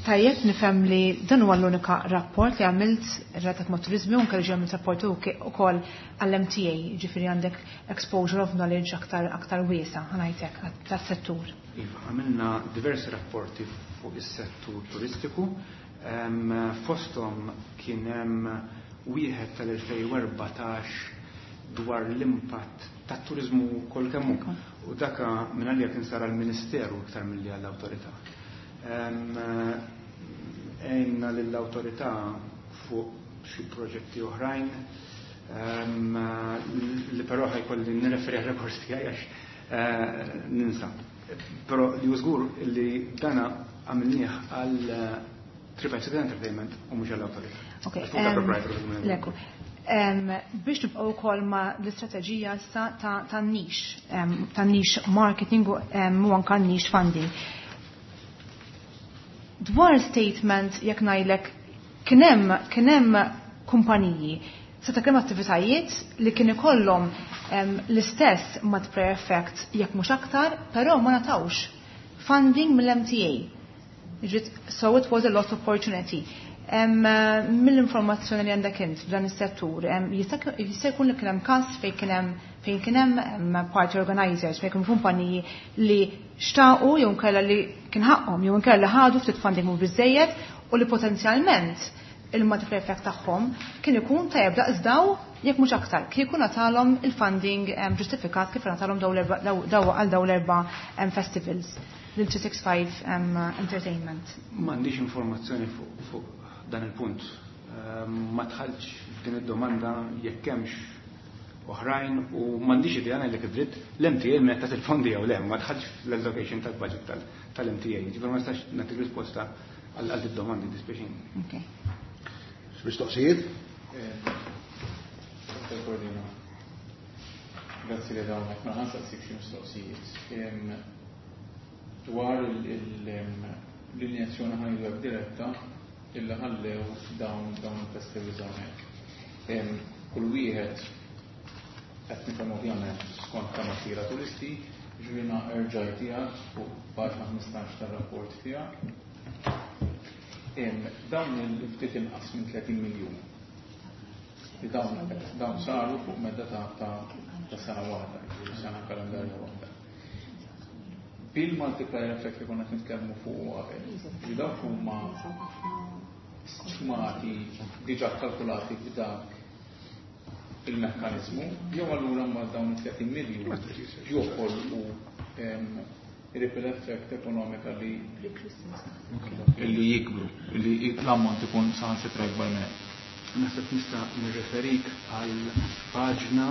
tajjeb nifhem li dan huwa l-unika rapport li għamilt relatat ma' turizmu u anke li għamilt rapport ukoll għall-M T A, ġifieri għandek exposure of knowledge aktar aktar wiesa', ħa ngħidlek, tas-settur. Iva, għamilna diversi rapporti fuq is-settur turistiku. Fosthom kien hemm wieħed tal-elfejn u erbatax dwar l-impatt tat-turizmu kollu kemm hu. U daka minn għalija kien sar għall-Ministeru iktar milli għall-awtorità. Għenna lill-awtorità fuq xi proġetti oħrajn li però ħa jkolli nirreferi għal-rekors tiegħi għax eh, ninsa. Però li żgur li dana għamilnieh għal Triple Entertainment u mhux għall-awtorità. Ok, Leku. Biex nibqgħu wkoll ma l-istrateġija issa ta' niche, ta' niche marketing u anka niche funding. Dwar statement jekk ngħidlek kien hemm kien hemm kumpaniji seta' kemm attivitajiet li kien ikollhom l-istess multiplier effect jekk mhux aktar, però ma ngħatawx funding mill-M T A. So it was a lost opportunity. Mill-informazzjoni li għandek int f'dan is-settur, jista' jkun li kien hemm każ fejn kien hemm fejn kien hemm party organizers, fejn kien kumpaniji li xtaqu jew nkella li kien ħaqhom jew nkella ħadu ftit funding mhux biżejjed u li potenzjalment il-multiplier effect tagħhom kien ikun tajjeb daqs daw jekk mhux aktar kieku ngħatalhom il-funding ġustifikat kif ngħatalhom daw għal daw l-erba' festivals lil three six five Entertainment. M'għandix informazzjoni fuq dan il-punt. Ma dħaltx f'din id-domanda jekk hemmx oħrajn u m'għandix idea, ngħidlek id-dritt, l-M T A meta il-fondi jew le, ma dħaltx fl-allocation tal-budget tal-M T A. Ġifieri ma nistax nagħtik risposta għal id-domandi, dispjaċini. Okay. Mistoqsijiet? Dottor Cordina, grazzi li dawnek, ma ħa nsaqsik xi mistoqsijiet. Dwar l-injezzjoni, ħa ngħidu diretta, illa ħallew dawn dawn il-festivals hawnhekk. Kull wieħed qed nifhem ovvjament skont kemm attira turisti, ġvina erġaj tiegħek fuq paġna ħmistax tar-rapport tiegħek. Dawn il-ftit inqas minn tletin miljun. Li dawn dawn saru fuq medda ta' ta' sena waħda, sena kalendarja waħda. Bil-multiplier effect li konna nitkellmu fuq qabel, li dawk huma stmati diġà kalkulati b'dak il-mekkanizmu, jew allura mbagħad dawn it-tletin miljun joħolqu ripple effect ekonomika li li jikbru, li l-ammont ikun saħansitra ikbar minn hekk. Naħseb nista' nirreferik għal paġna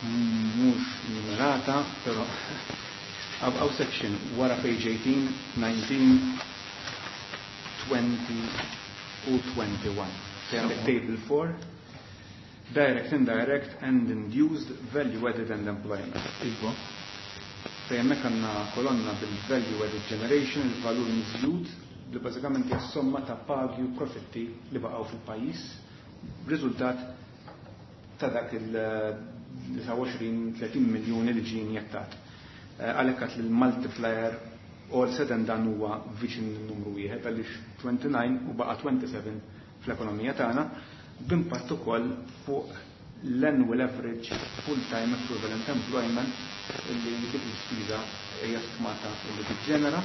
mhux numerata, però għaw section wara page eighteen, nineteen, twenty u twenty-one. Fejn għandek table four, direct, indirect and induced value added and employment. Iva. Fejn hemmhekk għandna kolonna bil-value added generation, il-valur miżjud, li bażikament hija somma ta' pagi u profitti li baqgħu fil-pajjiż, riżultat ta' dak il-tnejn u għoxrin tletin miljuni li ġie injettat. Għalhekk għat li l-multiplier all said and done huwa viċin numru wieħed għaliex twenty-nine u baqa' twenty-seven fl-ekonomija tagħna, b'impatt ukoll fuq l-annual average full-time equivalent employment li dik l-ispiża hija stmata li tiġġenera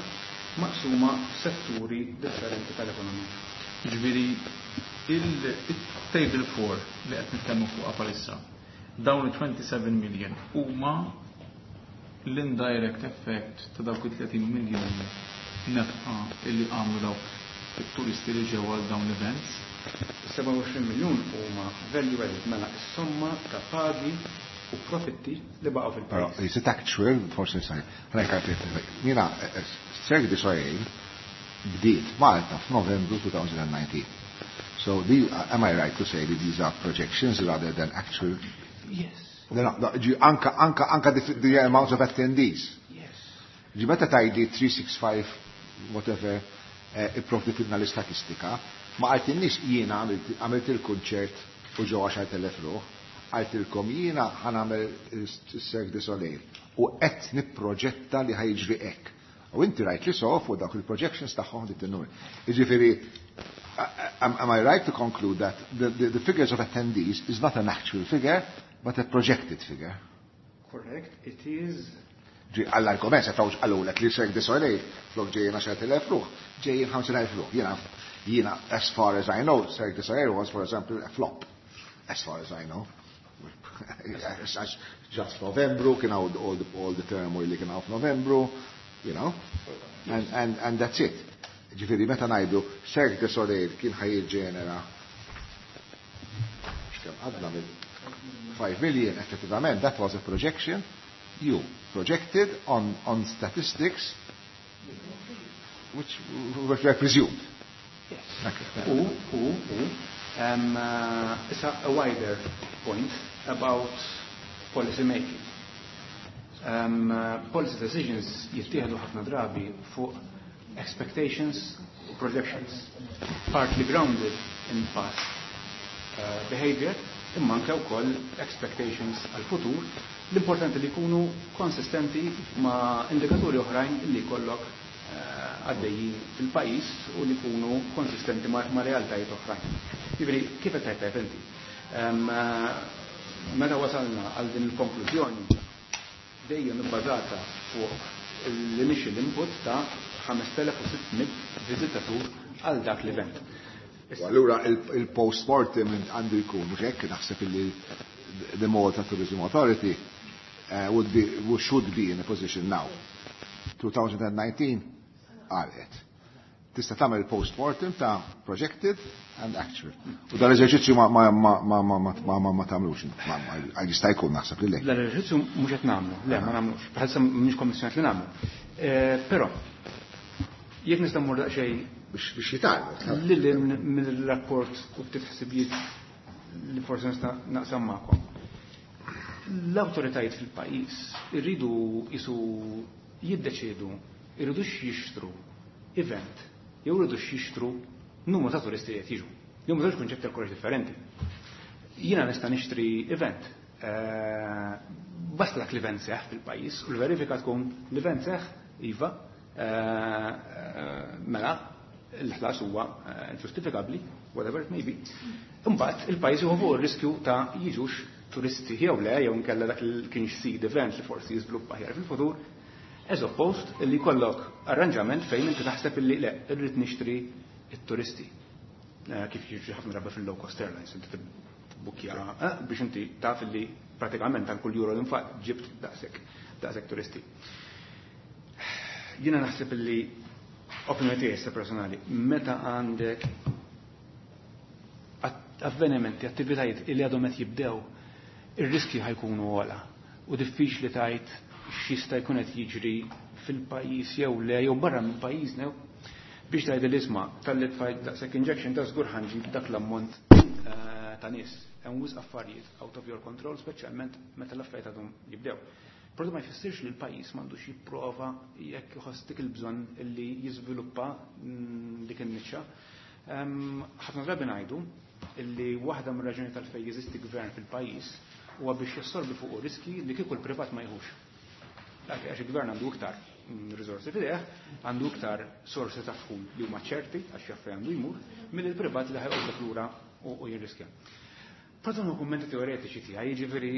maqsuma f'setturi differenti tal-ekonomija. Jiġifieri il-table four li qed nitkellmu fuqha bħalissa, dawn il-twenty-seven million huma l-indirect effect ta' dawk it-tletin miljun nefqa illi għamlu dawk it-turisti li ġew għal dawn l-events. sebgħa u għoxrin miljun huma value added, mela s-somma ta' pagi u profitti li baqgħu fil-pajjiż. Però is it actual, forsi sai, jiena Cirque du Soleil bdiet Malta f'Novembru two thousand nineteen. So the, am I right to say that these are projections rather than actual? Yes. No, no, no, ġi, anka, anka, anka the, the amount of attendees. Yes. Ġi meta tajdi three six five whatever, eh, ipprovditilna l-istatistika, ma għaltinniex jiena għamilt, għamilt il-kunċert u ġo għaxar telef ruħ, għaltilkom jiena ħanamel il-Cirque du Soleil u qed nipproġetta li ħajġri hekk. U inti rajt li sof u dawk il-projections tagħhom dit in-numri. Jiġifieri, am, am I right to conclude that the, the, the figures of attendees is not an actual figure, but a projected figure? Correct, it is. Ġi, għall-argument, se tawx għallulek li Cirque du Soleil, flok ġejjin għaxar telef ruħ, ġejjin ħamsin elf ruħ. Jiena, jiena, as far as I know, Cirque du Soleil was, for example, a flop. As far as I know. Just Novembru, kien hawn all the, all the turmoil li kien hawn f'Novembru, you know, and, and, and that's it. Ġifieri, meta ngħidu Cirque du Soleil kien ħajġenera x'kemm għadna mill five million, effettivament, that was a projection. You projected on, on statistics which were presumed. Yes. Okay. U, u, u, um, uh, it's a, a wider point about policy making. Um, uh, policy decisions jittieħdu ħafna drabi fuq expectations u projections, partly grounded in past, uh, behavior, imma anke wkoll expectations għal-futur. L-importanti li jkunu konsistenti ma' indikaturi oħrajn li jkollok, eh, għaddejjin fil-pajjiż u li jkunu konsistenti ma', ma' realtajiet oħrajn. Jiġifieri, kif qed tgħid inti? Em, eh, meta wasalna għal din il-konklużjoni dejjem ibbażata fuq l-initial input ta' ħamest elef u sitt mitt viżitatur għal dak l-event. U allura il-, il-post-mortem għandu jkun, mhux hekk naħseb illi the Malta Tourism Authority, uh, would be, should be in a position now. two thousand nineteen għalqet. Tista' tagħmel post-mortem ta' projected and actual. U dan l-eżerċizzju ma, ma, ma, ma, ma, ma, ma, ma, ma tagħmlux. Ma, ma, għal jista' jkun naħseb li le. Dan l-eżerċizzju mhux qed nagħmlu. Le, ma nagħmlux. Bħalissa mhix kommissjonat li nagħmlu. Eh, però jekk nista' mmur daqsxejn biex, biex jitgħallmu. Lil hinn mill-rapport u ftit ħsibijiet li forsi nista' naqsam magħkom. L-awtoritajiet fil-pajjiż irridu jisu jiddeċiedu, irridux jixtru event, jew irridux jixtru numru ta' turisti li qed jiġu. Jew żewġ kunċetti għal kollox differenti. Jiena nista' nixtri event, eh, basta dak l-event seħħ fil-pajjiż u l-verifika tkun l-event seħħ, iva, eh, eh, mela l-ħlas huwa, eh, ġustifikabbli, whatever it may be. Imbagħad il-pajjiż jieħu fuq ir-riskju ta' jiġux turisti jew le, jew inkella dak li kienx seed event li forsi jiżviluppa aħjar fil-futur, as opposed li jkollok arranġament fejn inti taħseb illi le, irrid nixtri it-turisti. Kif jiġri ħafna drabi fil-low cost airlines, inti tibbukkja biex inti taf li pratikament għal kull euro li nfaq ġibt daqshekk daqshekk turisti. Jiena naħseb li opinjoni tiegħi personali, meta għandek avvenimenti, attivitajiet li għadhom qed jibdew, ir-riski ħa jkunu ogħla u diffiċli tgħid x'jista' jkun qed jiġri fil-pajjiż jew le jew barra minn pajjiżna biex tgħid l-isma' talli tfajt daqshekk injection ta' żgur ħa nġib dak l-ammont ta' nies. Hemm wisq affarijiet out of your control, speċjalment meta l-affarijiet għadhom jibdew. Però ma jfissirx li l-pajjiż m'għandux jipprova jekk iħoss dik il-bżonn li jiżviluppa dik in-niċċa. Ħafna drabi ngħidu illi waħda mir-raġuni tal-fejn jeżisti gvern fil-pajjiż huwa biex jassorbi fuq riski li kieku l-privat ma jieħux. Għax il-gvern għandu iktar riżorsi f'idejh, għandu iktar sorsi ta' dħul li huma ċerti għax jaf fejn għandu jmur, mill il-privat li ħa joqgħod lura u jirriskja. Però dawn kummenti teoretiċi tiegħi, jiġifieri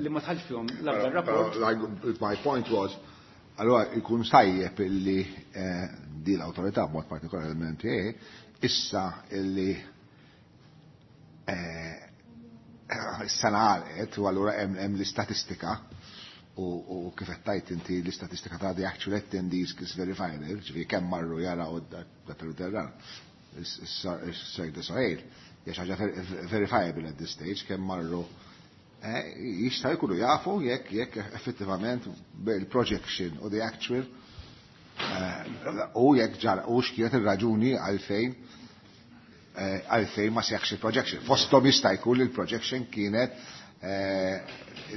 li ma dħalx fihom l-akbar rapport. My point was, allora ikun tajjeb illi di l-awtorità b'mod partikolari l-M T A issa illi s-sena għalqet u allura hemm l-istatistika u kif qed tgħid inti l-istatistika ta' the actual attendees is verifiable, ġifieri kemm marru jaraw dak il-terran. Is-Cirque du Soleil hija xi ħaġa verifiable at this stage kemm marru jista' jkunu jafu jekk jekk effettivament il-projection u the actual u jekk ġara u x'kienet ir-raġuni għalfejn għalfejn ma seħx il-projection. Fosthom jista' jkun li l-projection kienet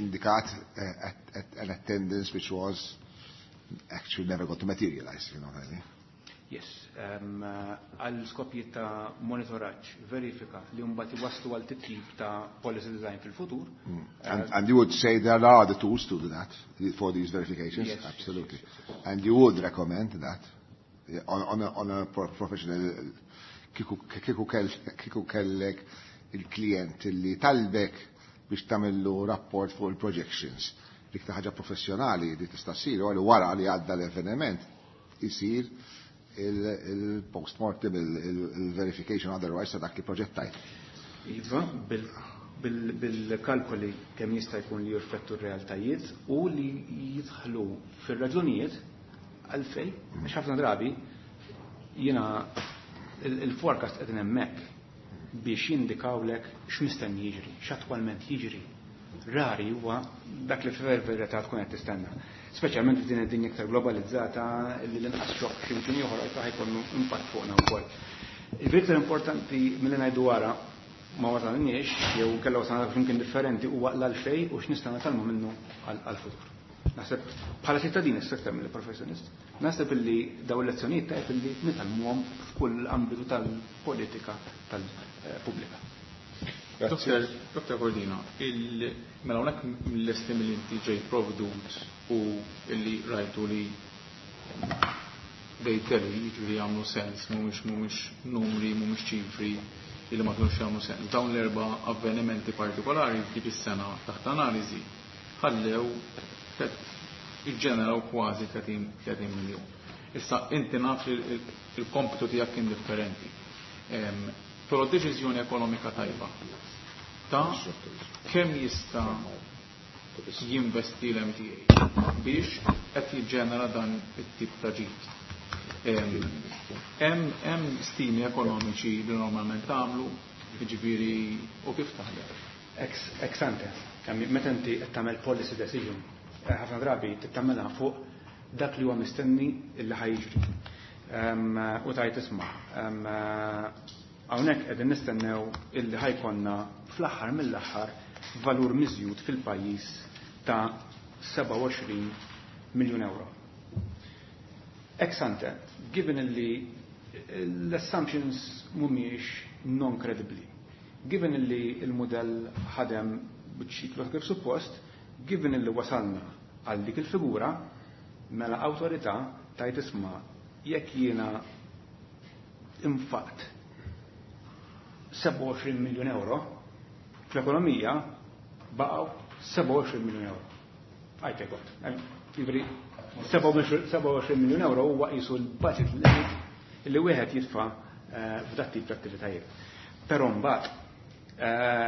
indikat at an attendance which was actually never got to materialize, you know what I mean? Yes, għal skopijiet ta' monitoraġġ, verifika li mbagħad iwasslu għal titjib ta' policy design fil-futur. And, and you would say there are the tools to do that, for these verifications? Yes, Absolutely. yes, yes, yes. And you would recommend that on, on, a, on a professional, kieku kieku kellek il-klient li talbek biex tagħmillu rapport fuq il-projections. Dik ta' ħaġa professjonali li tista' ssir u wara li għadda l-avveniment isir il-post-mortem, il-verification otherwise ta' dak li proġettajt. Iva, bil-kalkoli kemm jista' jkun li jirfettu r-realtajiet u li jidħlu fir-raġunijiet għalfej, għax ħafna drabi jiena il-forecast qegħdin hemmhekk biex jindikawlek x'mistenni jiġri, x'attwalment jiġri. Rari huwa dak li fil-verità tkun qed tistenna. Speċjalment f'din id-dinja iktar globalizzata li l-inqas xokk x'imkien ieħor ta' ħa jkollu impatt fuqna wkoll. Il-iktar importanti milli ngħidu wara ma wasalniex jew kellha wasalna f'imkien differenti huwa l-għalfej u x'nistgħu nitgħallmu minnu għall-futur. Naħseb bħala ċittadin issa aktar mill professjonist, naħseb illi daw il-lezzjonijiet tajjeb illi nitgħallmuhom f'kull ambitu tal-politika tal-pubblika. Dr. Dr. Cordina, il mela hawnhekk mill-estimi li inti ġej provdut u illi rajtu li they tell jiġifieri jagħmlu sens, mhumiex mhumiex numri, mhumiex ċifri illi ma kienux jagħmlu sens. Dawn l-erba' avvenimenti partikolari f'dik is-sena taħt analiżi ħallew iġġeneraw kważi tletin miljun. Issa inti naf li il-kompitu tiegħek kien differenti. Però deċiżjoni ekonomika tajba ta' kemm jista' jinvesti l-M T A biex qed jiġġenera dan it-tip ta' ġid. Hemm stimi ekonomiċi li normalment tagħmlu, jiġifieri, u kif taħdem? Ex ante, meta inti qed tagħmel policy decision, ħafna drabi tagħmelha fuq dak li huwa mistenni illi ħa jiġri. U tgħid, isma', hawnhekk qegħdin nistennew illi ħa jkollna fl-aħħar mill-aħħar valur miżjud fil-pajjiż ta' sebgħa u għoxrin miljun euro. Ex ante, given illi l-assumptions mhumiex non-credibly, given illi il-modell ħadem b'ċiklu kif suppost, given illi wasalna għal dik il-figura, mela awtorità tgħid, isma', jekk jiena infaqt sebgħa u għoxrin miljun euro, fl-ekonomija baqgħu sebgħa u għoxrin miljun euro. I take what. Jiġifieri, sebgħa u għoxrin miljun euro huwa qisu l-budget limit li wieħed jitfa' f'dat tip ta' attivitajiet. Però mbagħad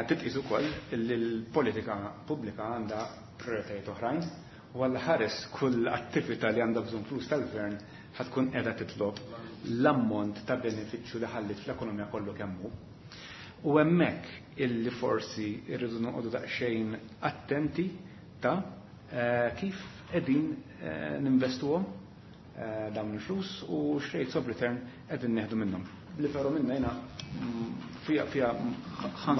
titqis ukoll li l-politika pubblika għandha prioritajiet oħrajn u għal ħares kull attività li għandha bżonn flus tal-gvern ħatkun qiegħda titlob l-ammont ta' benefiċċju li ħallit fl-ekonomija kollu kemm hu. U hemmhekk illi forsi rridu noqogħdu daqsxejn attenti ta' kif qegħdin ninvestuhom dawn il-flus u x'rates of return qegħdin neħdu minnhom. Li però minna jiena fija fija ħa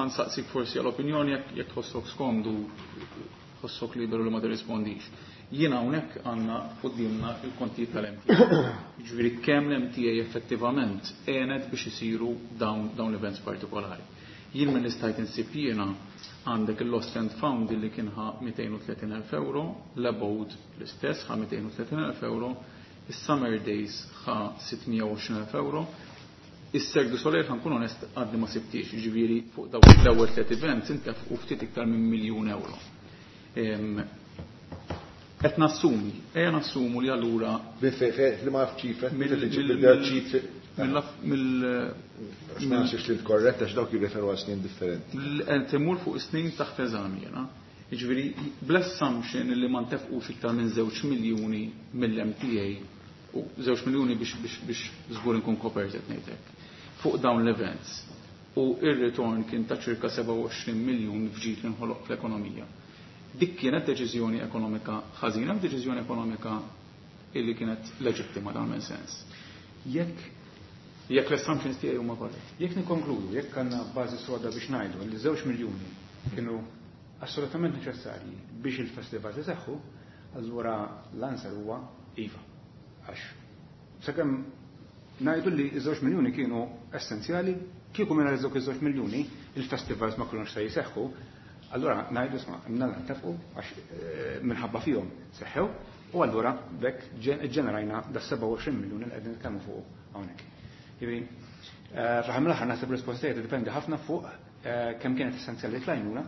nsaqsik forsi għal-opinjoni jekk tħossok skomdu, tħossok liberu li ma tirrispondix. Jiena hawnhekk għandna quddiemna il-kontijiet tal-M T A. Jiġifieri kemm l-M T A effettivament għenet biex isiru dawn dawn l-events partikolari. Jien minn stajt insib jiena għandek il-Lost and Found li kien ħa mitejn u tletin elf euro, l-Abode l-istess ħa mitejn u tletin elf euro, is-Summer Days ħa sitt mija u għoxrin elf euro, is-Cirque du Soleil, ħa nkun onest, għadni ma sibtix, ġifieri fuq dawk l-ewwel tliet events intefqu ftit iktar minn miljun euro. Qed nassumi, ejja nassumu li allura Li ma ċifra, ċifri. Mill Ma nafx li korretta għax dawk jirreferu għal snin differenti. Qed imur fuq snin taħt eżami jiena. Jiġifieri bl-assumption li ma ntefqux iktar minn żewġ miljuni mill-M T A u żewġ miljuni biex biex biex żgur nkun kopert qed ngħidlek fuq dawn l-events u ir-return kien ta' ċirka sebgħa u għoxrin miljun f'ġid li nħoloq fl-ekonomija. Dik kienet deċiżjoni ekonomika ħażina u deċiżjoni ekonomika illi kienet leġittima dan minn sens? Jekk Jekk l-assumptions tiegħi huma korretti. Jekk nikkonkludu, jekk għandna bażi soda biex ngħidu li żewġ miljuni kienu assolutament neċessarji biex il-festival iseħħu, allura l-answer huwa iva. Għax sakemm ngħidu li żewġ miljuni kienu essenzjali, kieku mingħajr żewġ iż-żewġ miljuni il-festivals ma kinux se jseħħu, allura ngħidu isma' mnalla ntefqu għax eh, minħabba fihom seħħew u allura bekk ġenerajna da sebgħa u għoxrin miljuni li qegħdin nitkellmu fuq hawnhekk. Jiġifieri, eh, fl-aħħar mill-aħħar naħseb risposta tiddependi ħafna fuq eh, kemm kienet essenzjali l-għajnuna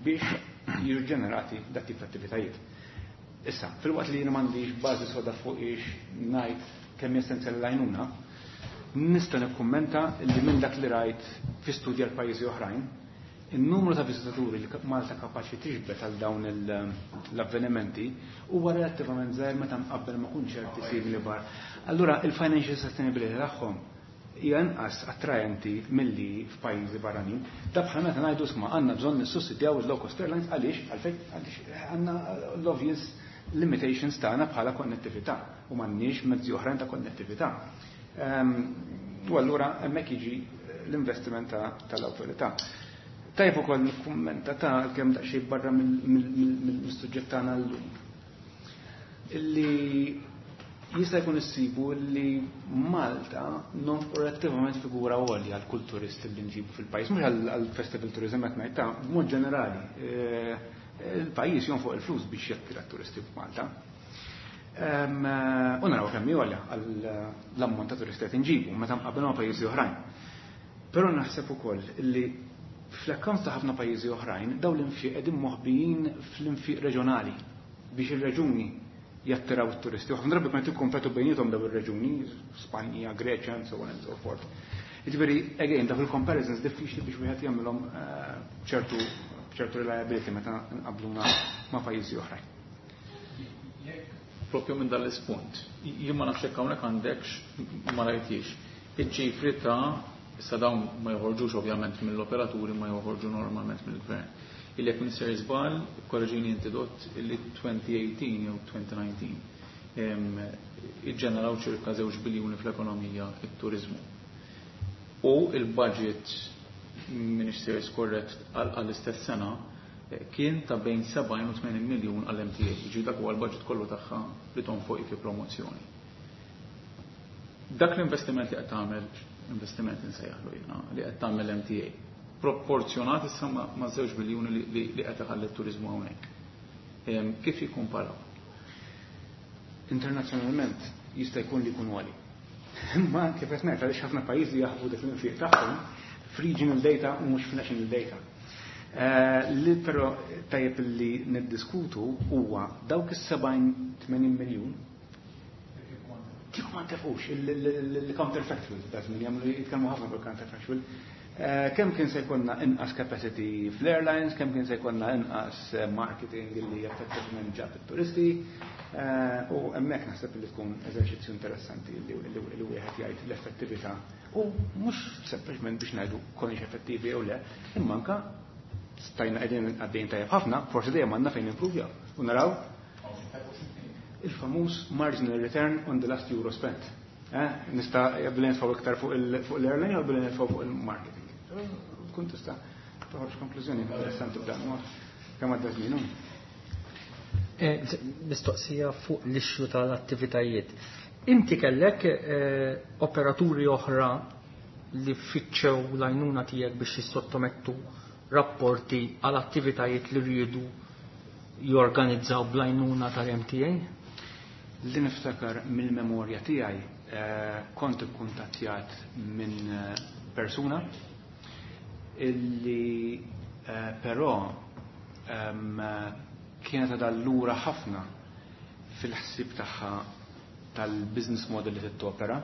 biex jiġu ġenerati dat tip ta' attivitajiet. Issa, filwaqt li jiena m'għandix bażi soda fuq ix ngħid kemm essenzjali l-għajnuna, nista' nikkummenta li minn dak li rajt fi studji għal pajjiżi oħrajn, il-numru ta' viżitaturi li Malta kapaċi tiġbed għal dawn l-avvenimenti huwa relattivament żgħir meta mqabbel ma' kunċerti simili bar. Allura il-financial sustainability tagħhom hija inqas attraenti milli f'pajjiżi barranin. Da bħal meta ngħidu isma' għandna bżonn nissussidjaw il-low cost airlines. Għaliex? Għalfejn, għaliex għandna l-obvious limitations tagħna bħala konnettività u m'għandniex mezzi oħrajn ta' konnettività. Ehm, u allura hemmhekk jiġi l-investiment tal-awtorità. Tajb ukoll nikkummenta ta' kemm daqsxejn barra mill-suġġett tagħna llum. Illi jista' jkun issibu li Malta nonfqu relattivament figura għolja għal kull turist li nġibu fil-pajjiż, mhux għal festival tourism qed ngħid, ta' b'mod ġenerali. Eh, il-pajjiż jonfoq il-flus biex jattira turisti f'Malta. U naraw kemm għolja għall-ammont ta' turisti qed inġibu meta mqabbel ma' pajjiżi oħrajn. Però naħseb ukoll li fl-accounts ta' ħafna pajjiżi oħrajn dawn l-infiq qegħdin moħbijin fl-infiq reġjonali biex ir-reġuni jattiraw it-turisti. U ħafna drabi kont ikkompetu bejniethom dawn ir-reġuni, Spanja, Greċja, and so on and so forth. Jiġifieri, again, dak il-comparisons diffiċli biex wieħed jagħmilhom eh, ċertu ċertu reliability meta nqabluna ma' pajjiżi oħrajn. Propju minn dal-ispunt, jien ma nafx jekk hawnhekk għandekx, ma rajtix. Iċ-ċifri ta' issa dawn ma joħorġux ovvjament mill-operaturi, ma joħorġu normalment mill-gvern. Illi jekk m'iniex żball, korreġini inti dott, illi elfejn u tmintax jew elfejn u disa' iġġeneraw ċirka żewġ biljuni fl-ekonomija it-turizmu. U il-budget, m'iniex sejjer korrett, għall-istess sena eh, kien ta' bejn sebgħin u tmenin miljun għall-M T A. Ġi dak huwa l-budget kollu tagħha li tonfoq fi promozzjoni. Dak l-investiment li qed tagħmel, investiment insejjaħlu jiena, li qed tagħmel M T A, proporzjonat issa ma' żewġ biljuni li qed iħalli t-turizmu hawnhekk. Kif jikkumparaw? Internazzjonalment jista' jkun li jkun għali. Imma kif qed ngħid, għaliex ħafna pajjiżi jaħbu dik l-infiq tagħhom f'regional data u mhux f'national data. Eh, li però tajjeb li niddiskutu huwa dawk is-sebgħin tmenin miljun Kieku ma ntefqux il-counterfactual, da żmien jagħmlu jitkellmu ħafna fuq il-counterfactual. Kemm kien se jkollna inqas capacity fl-airlines, kemm kien se jkollna inqas marketing li effettivament ġab it-turisti, u hemmhekk naħseb li tkun eżerċizzju interessanti li wieħed jgħid l-effettività u mhux sempliċement biex ngħidu konniex effettivi jew le, imma anke stajna qegħdin għaddejjin tajjeb ħafna, forsi dejjem għandna fejn improvjaw u naraw il-famuż marginal return on the last euro spent. Nista' billi nitfgħu iktar fuq l-airline jew billi nitfgħu fuq il-marketing. Tkun tista' toħroġ konklużjoni interessanti b'dan mod kemm għadda żmien. Mistoqsija fuq l-issue tal-attivitajiet. Inti kellek operaturi oħra li fittxew l-għajnuna tiegħek biex jissottomettu rapporti għal attivitajiet li rridu jorganizzaw bl-għajnuna tal-M T A? Li niftakar mill-memorja tiegħi kont ikkuntattjat minn persuna illi però kienet għadha lura ħafna fil-ħsieb tagħha tal-business model li tittopera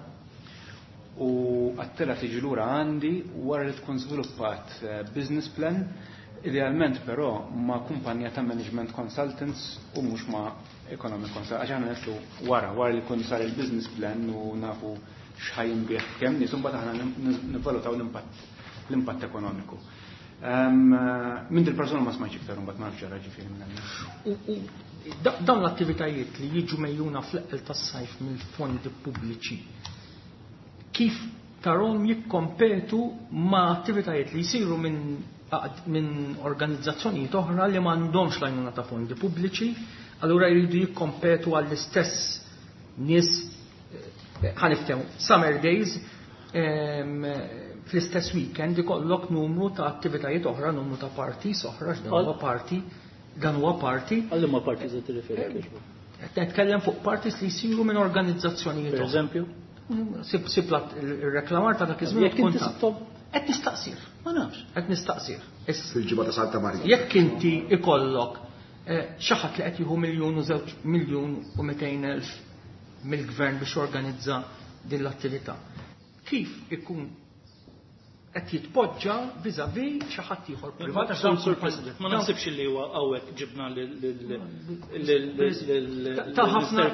u għattela tiġi lura għandi wara li tkun żviluppat business plan, idealment però ma' kumpanija ta' management consultants u mhux ma' economic consultants, għax aħna nitlu wara, wara li jkun sar il-business plan u nafu x'ħajinbih kemm nies, imbagħad aħna nivvalutaw l-impatt l-impatt ekonomiku. Minn dil-persuna ma smajtx iktar imbagħad ma nafx ġara ġifieri minn hemmhekk. U dawn l-attivitajiet li jiġu mejjuna fl-eqqel tas-sajf mill-fondi pubbliċi, kif tarhom jikkompetu ma' attivitajiet li jsiru minn minn organizzazzjonijiet oħra li m'għandhomx l-għajnuna ta' fondi pubbliċi, allura jridu jikkompetu għall-istess nies, ħaniftehmu, Summer Days, fl-istess weekend ikollok numru ta' attivitajiet oħra, numru ta' parties oħra, dan huwa party, dan huwa party. Għal ma parties qed tirreferi? Qed nitkellem fuq parties li jsiru minn organizzazzjonijiet oħra. Per eżempju? Sib sib ir-reklamar ta' dak iż-żmien Jekk inti sibthom qed nistaqsir. Ma nafx. Qed nistaqsir. Fil-ġimgħa ta' Santa Marija. Jekk inti ikollok xi ħadd li qed jieħu miljun u żewġ miljun u mitejn elf mill-gvern biex jorganizza din l-attività, kif ikun qed jitpoġġa vis-à-vis xi ħadd ieħor privat? Għax dawn Sur President, ma naħsibx li huwa hawnhekk ġibna lil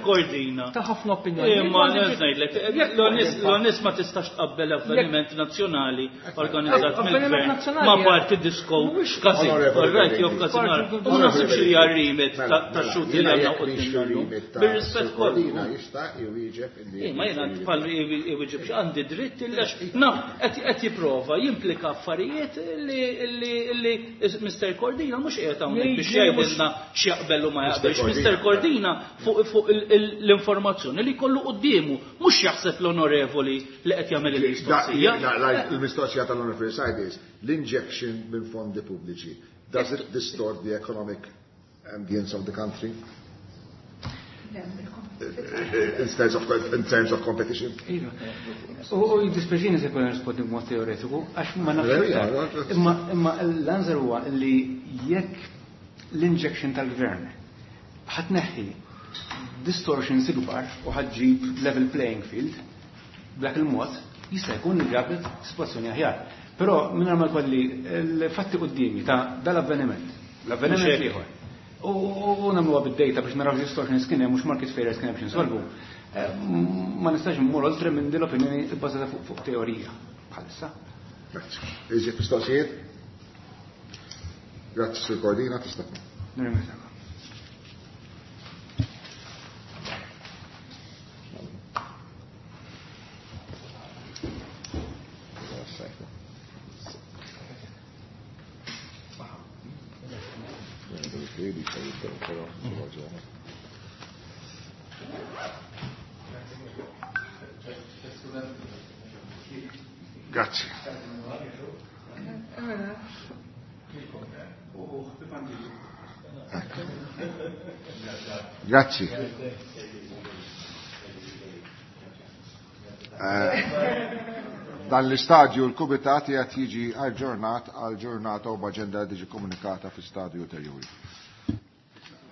Cordina. Ta' ħafna opinjoni. Ma ngħidlek, l-onis ma tistax tqabbel avveniment nazzjonali organizzat mill-gvern ma' parti disco każin, right jew każin. U ma naħsibx li hija rimit ta' xuti li għandna quddiem. Bir-rispett kollu. Jista' jwieġeb illi. Ma jiena bħal iwieġeb għandi dritt illa naf qed jipprova jimplika affarijiet li li Mister Cordina mhux qiegħed hawnhekk biex jgħidilna x'jaqbel u ma jaqbelx. Mister Cordina fuq l-informazzjoni li jkollu quddiemu mhux jaħseb l-onorevoli li qed jagħmel il-mistoqsija. Il-mistoqsija tal-onorevoli Said is l-injection minn fondi pubbliċi. Does it distort the economic ambience of the country? In terms of, in terms of competition. U jiddispjaċini se jkun nirrispondi b'mod teoretiku, għax ma nafx. Imma imma l-answer huwa li jekk l-injection tal-gvern ħatneħħi distortions ikbar u ħaġġib level playing field b'dak il-mod jista' jkun li ġabet sitwazzjoni aħjar. Però mingħajr ma jkolli l-fatti quddiemi ta' dal-avveniment, l-avveniment ieħor. U nagħmluha bid-data biex naraw distortions kien hemm mhux market failures kien hemm biex insolvu. Ma nistax immur oltre minn din l-opinjoni bbażata fuq teorija bħalissa. Grazzi. Iżjed mistoqsijiet? Grazzi Sur Cordina, tista'. Nirringrazzjak. Grazie. Grazzi. Dan l-istadju l-kumitat qed jiġi aġġornat għal ġurnata u b'aġenda li tiġi komunikata fi stadju ulterjuri.